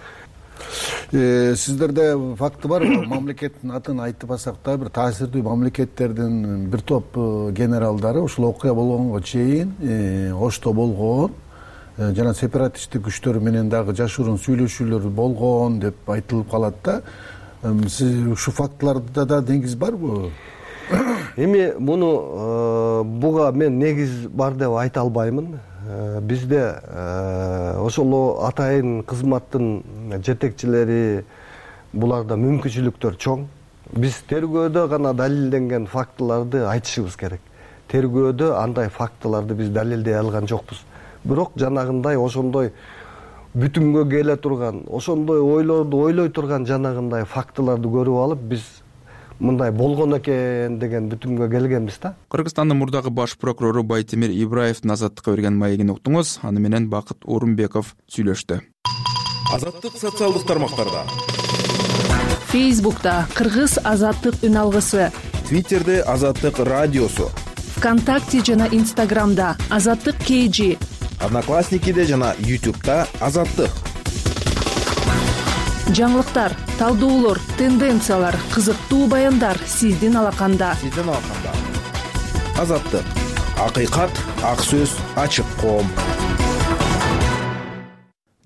Сиздерде факты бар, мамлекеттин атын айтпасак да бир таасирдүү мамлекеттердин бир топ генералдары ушул окуя болгонго чейин Ошто болгон, жана сепаратисттик күчтөр менен дагы жашыруун сүйлөшүүлөр болгон деп айтылып калат да. Сиз ушул фактыларда да негиз барбы? Эми муну буга мен негиз бар деп айта албаймын. Бизде ошол атайын кызматтын жетекчилери буларда мүмкүнчүлүктөр чоң. Биз тергөөдө гана далилденген фактыларды айтышыбыз керек. Тергөөдө андай фактыларды биз далилдей алган жокпуз. Бирок жанагындай ошондой бүтүнгө келе турган, ошондой ойлорду ойлой турган жанагындай фактыларды көрүп алып, биз мындай болгон экен деген бүтүмгө келгенбиз да. Кыргызстандын мурдагы баш прокурору Байтемир Ибраевдин Азаттыкка берген маегин уктуңуз. Аны менен Бакыт Орунбеков сүйлөштү. Азаттык социалдык тармактарда. Фейсбукта Кыргыз Азаттык үн алгысы, Твиттерде Азаттык радиосу, ВКонтакте жана Инстаграмда Азаттык кей джи, Одноклассникиде жана Ютубта Азаттык. Жаңылыктар, талдоолор, тенденциялар, кызыктуу баяндар сиздин алаканда. Сиздин алаканда. Азаттык. Акыйкат, ак сөз, ачык коом.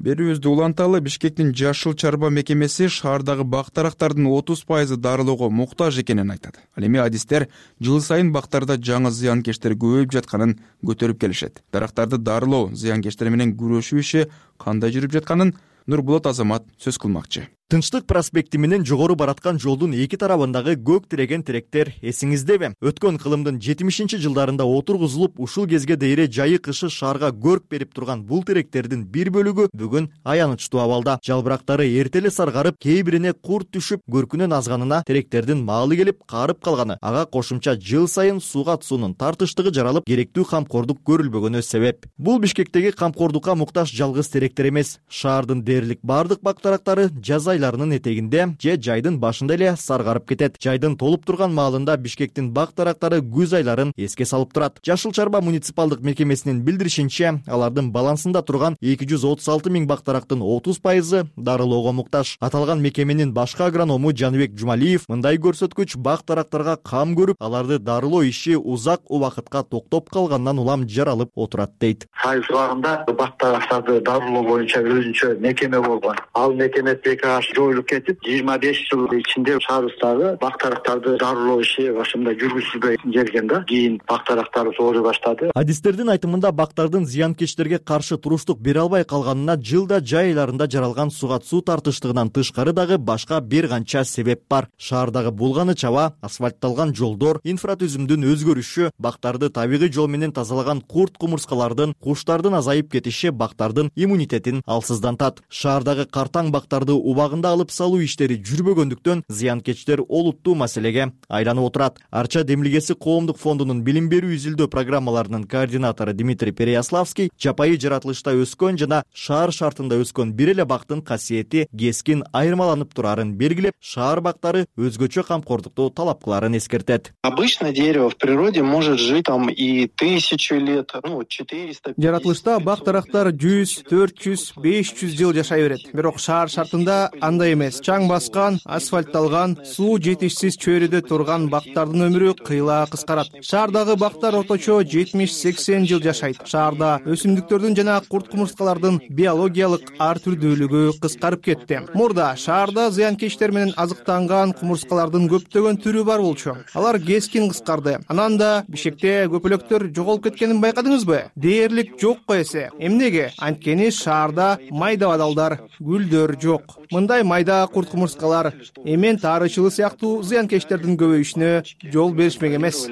Берүүбүздү уланталы. Бишкектин Жашыл чарба мекемеси шаардагы бак-дарактардын отуз пайызы дарылоого муктаж экенин айтат. Ал эми адистер жыл сайын бактарда жаңы зыянкечтер көбөйүп жатканын көтөрүп келишет. Дарактарды дарылоо, зыянкечтер менен күрөшүү иши кандай жүрүп жатканын Нурбулат Азамат сөз кылмакчы. Тынчтык проспекти менен жогору бараткан жолдун эки тарабындагы көк тиреген теректер эсиңиздеби? Өткөн кылымдын жетимишинчи жылдарында отургузулуп, ушул кезге дейре жайы кышы шаарга көрк берип турган бул теректердин бир бөлүгү бүгүн аянычтуу абалда. Жалбырактары эртеле саргарып, кээ бирине курт түшүп, көркүнөн азганына теректердин маалы келип каарып калганы, ага кошумча жыл сайын сууга суунун тартыштыгы жаралып, керектүү камкордук көрүлбөгөнү себеп. Бул Бишкектеги камкордукка муктаж жалгыз теректер эмес. Шаардын дээрлик бардык бак-дарактары жаз айларынын этегинде же жайдын башында эле саргарып кетет. Жайдын толуп турган маалында Бишкектин бак-дарактары күз айларын эске салып турат. Жашыл чарба муниципалдык мекемесинин билдиришинче, алардын балансында турган эки жүз отуз алты миң бак-дарактын отуз пайызы дарылоого муктаж. Аталган мекеменин башкы агроному Жаныбек Жумалиев мындай көрсөткүч бак-дарактарга кам көрүп, аларды дарылоо иши узак убакытка токтоп калгандан улам жаралып отурат дейт. Айыл убагында бак-дарактарды дарылоо боюнча өзүнчө мекеме болгон. Ал мекеме ПК жоюлуп кетип, жыйырма беш жыл ичинде шаарыбыздагы бак-дарактарды дарылоо иши башында жүргүзүлбөй келген да. Кийин бак-дарактар ооруй баштады. Адистердин айтымында бактардын зыянкечтерге каршы туруштук бере албай калганына жылда жай айларында жаралган суга суу тартыштыгынан тышкары дагы башка бир канча себеп бар. Шаардагы булганы чаба, асфальтталган жолдор, инфратүзүмдүн өзгөрүшү, бактарды табигый жол менен тазалаган курт кумурскалардын, куштардын азайып кетиши бактардын иммунитетин алсыздантат. Шаардагы картаң бактарды убагында алып салуу иштери жүрбөгөндүктөн зыянкечтер олуттуу маселеге айланып отурат. Арча демилгеси коомдук фондунун билим берүү изилдөө программаларынын координатору Дмитрий Переяславский жапайы жаратылышта өскөн жана шаар шартында өскөн бир эле бактын касиети кескин айырмаланып турарын белгилеп, шаар бактары өзгөчө камкордукту талап кыларын эскертет. Обычно дерево в природе может жить там и тысячу лет, ну четыреста. Жаратылышта бак-дарактар жүз, төрт жүз, беш жүз жыл жашай берет. Бирок шаар шартында андай эмес. Чаң баскан, асфальтталган, суу жетишсиз чөйрөдө турган бактардын өмүрү кыйла кыскарат. Шаардагы бактар орточо жетимиш сексен жыл жашайт. Шаарда өсүмдүктөрдүн жана курт кумурскалардын биологиялык ар түрдүүлүгү кыскарып кетти. Мурда шаарда зыянкечтер менен азыктанган кумурскалардын көптөгөн түрү бар болчу. Алар кескин кыскарды. Анан да Бишкекте көпөлөктөр жоголуп кеткенин байкадыңызбы? Дээрлик жокко эсе. Эмнеге? Анткени шаарда майда бадалдар, гүлдөр жок. Мындай майда курт кумурскалар эмен таарычылы сыяктуу зыянкечтердин көбөйүшүнө жол беришмек эмес.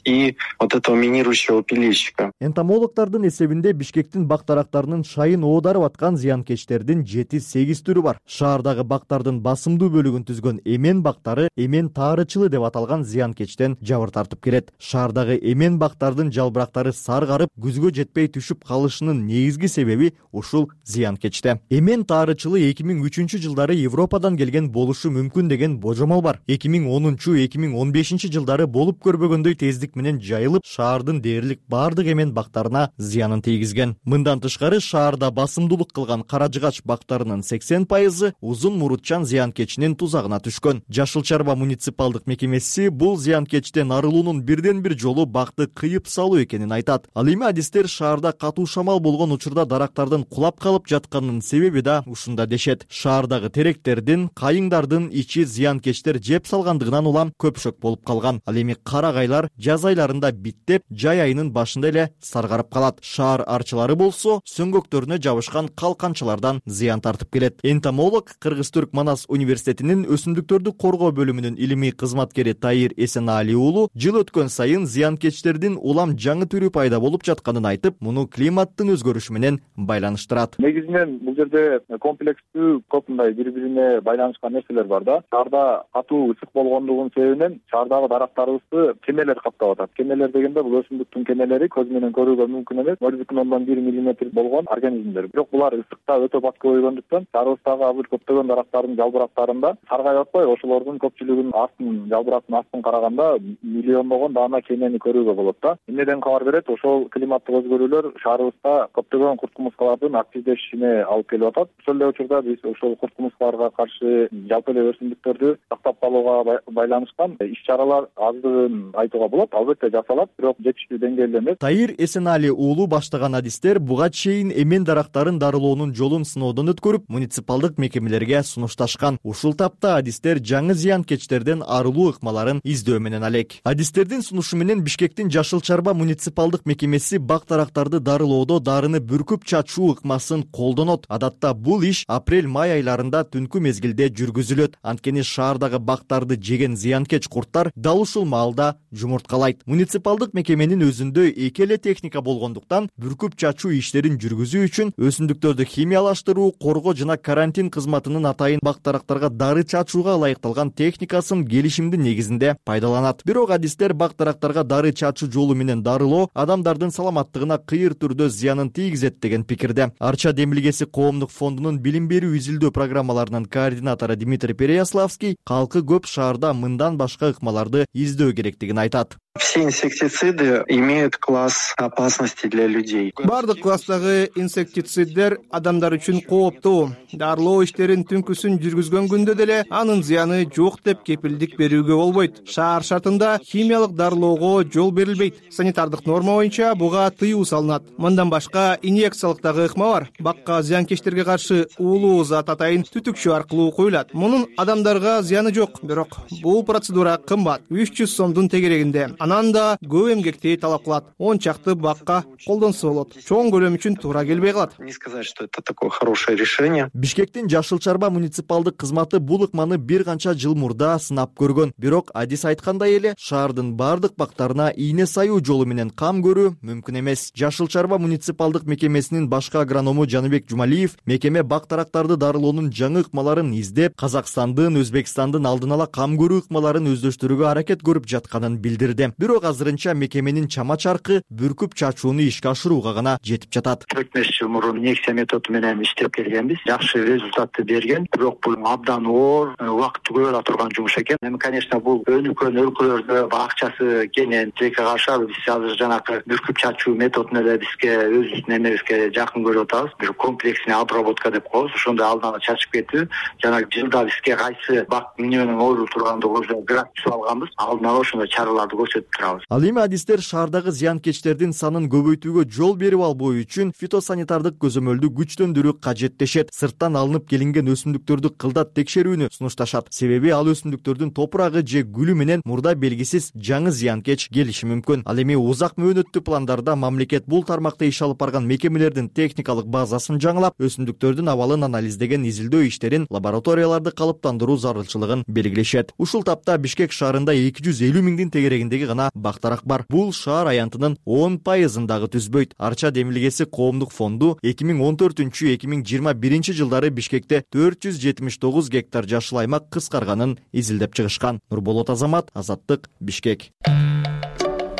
И вот этого минирующего пилильщика. Энтомологдордун эсебинде Бишкектин бак-дарактарынын шайын оодарып аткан зыянкечтердин жети-сегиз түрү бар. Шаардагы бактардын басымдуу бөлүгүн түзгөн эмен бактары эмен таарычылы деп аталган зыянкечтен жабыр тартып келет. Шаардагы эмен бактардын жалбырактары саргарып, күзгө жетпей түшүп калышынын негизги себеби ушул зыянкечте. Эмен таарычылы эки миң үчүнчү үчүнчү жылдары Европадан келген болушу мүмкүн деген божомол бар. эки миң онунчу эки миң он бешинчи жылдары болуп көрбөгөндөй тездик менен жайылып, шаардын дээрлик баардык эмен бактарына зыянын тийгизген. Мындан тышкары шаарда басымдуулук кылган кара жыгач бактарынын сексен пайызы узун мурутчан зыянкечинин тузагына түшкөн. Жашыл Чарба муниципалдык мекемеси бул зыянкечтен арылуунун бирден бир жолу бакты кыйып салуу экенин айтат. Ал эми адистер шаарда катуу шамал болгон учурда дарактардын кулап калып жатканынын себеби да ушунда дешет. Шаардагы теректердин, кайыңдардын ичи зыянкечтер жеп салгандыгынан улам көпшөк болуп калган. Ал эми карагайлар жаз айларында биттеп, жай айынын башында эле саргарып калат. Шаар арчылары болсо сөңгөктөрүнө жабышкан калканчалардан зыян тартып келет. Энтомолог Кыргыз-Түрк Манас университетинин өсүмдүктөрдү коргоо бөлүмүнүн илимий кызматкери Таир Эсеналиев уулу жыл өткөн сайын зыянкечтердин улам жаңы түрү пайда болуп жатканын айтып, муну климаттын өзгөрүшү менен байланыштырат. Негизинен бул жерде комплекстүү көп мындай бири-бирине байланышкан нерселер бар да. Шаарда катуу ысык болгондугунун себебинен шаардагы дарактарыбызды кемелер каптап атат. Кемелер дегенде бул өсүмдүктүн кемелери көз менен көрүүгө мүмкүн эмес, ноль бүтүн ондон бир миллиметр болгон организмдер. Бирок булар ысыкта өтө бат көбөйгөндүктөн шаарыбыздагы азыр көптөгөн дарактардын жалбырактарында саргайып атпай, ошолордун көпчүлүгүнүн астын, жалбырактын астын караганда миллиондогон даана кемени көрүүгө болот да. Эмнеден кабар берет? Ошол климаттык өзгөрүүлөр шаарыбызда көптөгөн курт кумурскалардын активдешишине алып келип атат. Ошол эле учурда биз ошол курт кумурскаларга каршы жалпы эле өсүмдүктөрдү сактап калууга байланышкан иш-чаралар аздыгын айтууга болот. Албетте жасалат, бирок жетиштүү деңгээлде эмес. Таир Эсенали уулу баштаган адистер буга чейин эмен дарактарын дарылоонун жолун сыноодон өткөрүп, муниципалдык мекемелерге сунушташкан. Ушул тапта адистер жаңы зыянкечтерден арылуу ыкмаларын издөө менен алек. Адистердин сунушу менен Бишкектин Жашыл Чарба муниципалдык мекемеси бак дарактарды дарылоодо дарыны бүркүп чачуу ыкмасын колдонот. Адатта бул иш апрель-май айларында түнкү мезгилде жүргүзүлөт. Анткени шаардагы бактарды жеген зыянкеч курттар дал ушул маалда жумурткалайт. Муниципалдык мекеменин өзүндө эки эле техника болгондуктан бүркүп чачуу иштерин жүргүзүү үчүн өсүмдүктөрдү химиялаштыруу, коргоо жана карантин кызматынын атайын бак дарактарга дары чачууга ылайыкталган техникасын келишимдин негизинде пайдаланат. Бирок адистер бак дарактарга дары чачуу жолу менен дарылоо адамдардын саламаттыгына кыйыр түрдө зыянын тийгизет деген пикирде. Арча демилгеси коомдук фондунун билим берүү изилдөө программаларынын координатору Дмитрий Переяславский калкы көп шаарда мындан башка ыкмаларды издөө керектигин айтат. Все инсектициды имеют класс опасности для людей. Бардык класстагы инсектициддер адамдар үчүн кооптуу. Дарылоо иштерин түнкүсүн жүргүзгөн күндө деле анын зыяны жок деп кепилдик берүүгө болбойт. Шаар шартында химиялык дарылоого жол берилбейт. Санитардык норма боюнча буга тыюу салынат. Мындан башка инъекциялык дагы ыкма бар. Бакка зыянкечтерге каршы уулуу зат атайын түтүкчө аркылуу куюлат. Мунун адамдарга зыяны жок, бирок бул процедура кымбат, үч жүз сомдун тегерегинде. Анан да көп эмгекти талап кылат. он чакты бакка колдонсо болот. Чоң көлөм үчүн туура келбей калат. Не сказать, что это такое хорошее решение. Бишкектин Жашыл Чарба муниципалдык кызматы бул ыкманы бир канча жыл мурда сынап көргөн. Бирок адис айткандай эле шаардын бардык бактарына ийне саюу жолу менен кам көрүү мүмкүн эмес. Жашыл Чарба муниципалдык мекемесинин башкы агроному Жаныбек Жумалиев мекеме бак дарактарды дарылоонун жаңы ыкмаларын издеп, Казакстандын, Өзбекстандын алдын ала кам көрүү ыкмаларын өздөштүрүүгө аракет көрүп жатканын билдирди. Бирок азырынча мекеменин чама чаркы бүркүп чачууну ишке ашырууга гана жетип жатат. төрт беш жыл мурун инъекция методу менен иштеп келгенбиз. Жакшы результатты берген. Бирок бул абдан оор, убакытты көп ала турган жумуш экен. Эми, конечно, бул өнүккөн өлкөлөрдө акчасы кенен тилекке каршы биз азыр жанакы бүркүп чачуу методун эле бизге өзүбүздүн эмебизге жакын көрүп атабыз. Бир комплексный обработка деп коебуз. Ошондой алдын ала чачып кетүү. Жана жылда бизге кайсы бак эмне менен оорулуп тургандыгыбызды график алганбыз. Алдын ала ошондой чараларды көрсөтүп турабыз. Ал эми адистер шаардагы зыянкечтердин санын көбөйтүүгө жол берип албоо үчүн фитосанитардык көзөмөлдү күчтөндүрүү кажет дешет. Сырттан алынып келинген өсүмдүктөрдү кылдат текшерүүнү сунушташат. Себеби ал өсүмдүктөрдүн топурагы же гүлү менен мурда белгисиз жаңы зыянкеч келиши мүмкүн. Ал эми узак мөөнөттүү пландарда мамлекет бул тармакта иш алып барган мекемелердин техникалык базасын жаңылап, өсүмдүктөрдүн абалын анализдеген изилдөө иштерин лабораторияларды калыптандыруу зарылчылыгын белгилешет. Ушул тапта Бишкек шаарында эки жүз элүү миңдин тегерегиндеги гана бак дарак бар. Бул шаар аянтынын он пайызын дагы түзбөйт. Арча демилгеси коомдук фонду эки миң он төртүнчү эки миң жыйырма биринчи жылдары Бишкекте төрт жүз жетимиш тогуз гектар жашыл аймак кыскарганын изилдеп чыгышкан. Нурболот Азамат, Азаттык, Бишкек.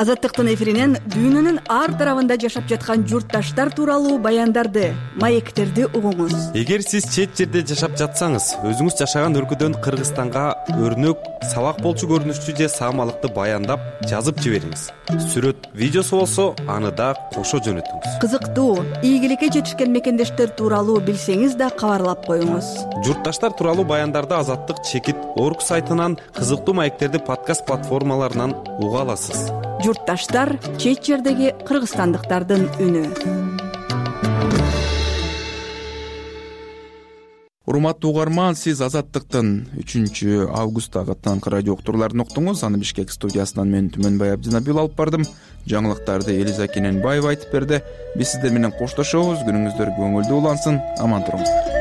Азаттыктын эфиринен дүйнөнүн ар тарабында жашап жаткан журтташтар тууралуу баяндарды, маектерди угуңуз. Эгер сиз чет жерде жашап жатсаңыз, өзүңүз жашаган өлкөдөн Кыргызстанга өрнөк, сабак болчу көрүнүштүү же саамалыкты баяндап жазып жибериңиз. Сүрөт, видеосу болсо, аны да кошо жөнөтүңүз. Кызыктуу, ийгиликке жетишкен мекендештер тууралуу билсеңиз да кабарлап коюңуз. Журтташтар тууралуу баяндарды Азаттык чекит орг сайтынан, кызыктуу маектерди подкаст платформаларынан уга аласыз. Журтташтар — чет жердеги кыргызстандыктардын үнү. Урматтуу угарман, сиз Азаттыктын үчүнчү августтагы таңкы радио уктурууларын уктуңуз. Аны Бишкек студиясынан мен Түмөнбай Абдинабил алып бардым. Жаңылыктарды Элиза Кененбаева айтып берди. Биз сиздер менен коштошобуз. Күнүңүздөр көңүлдүү улансын. Аман туруңуздар.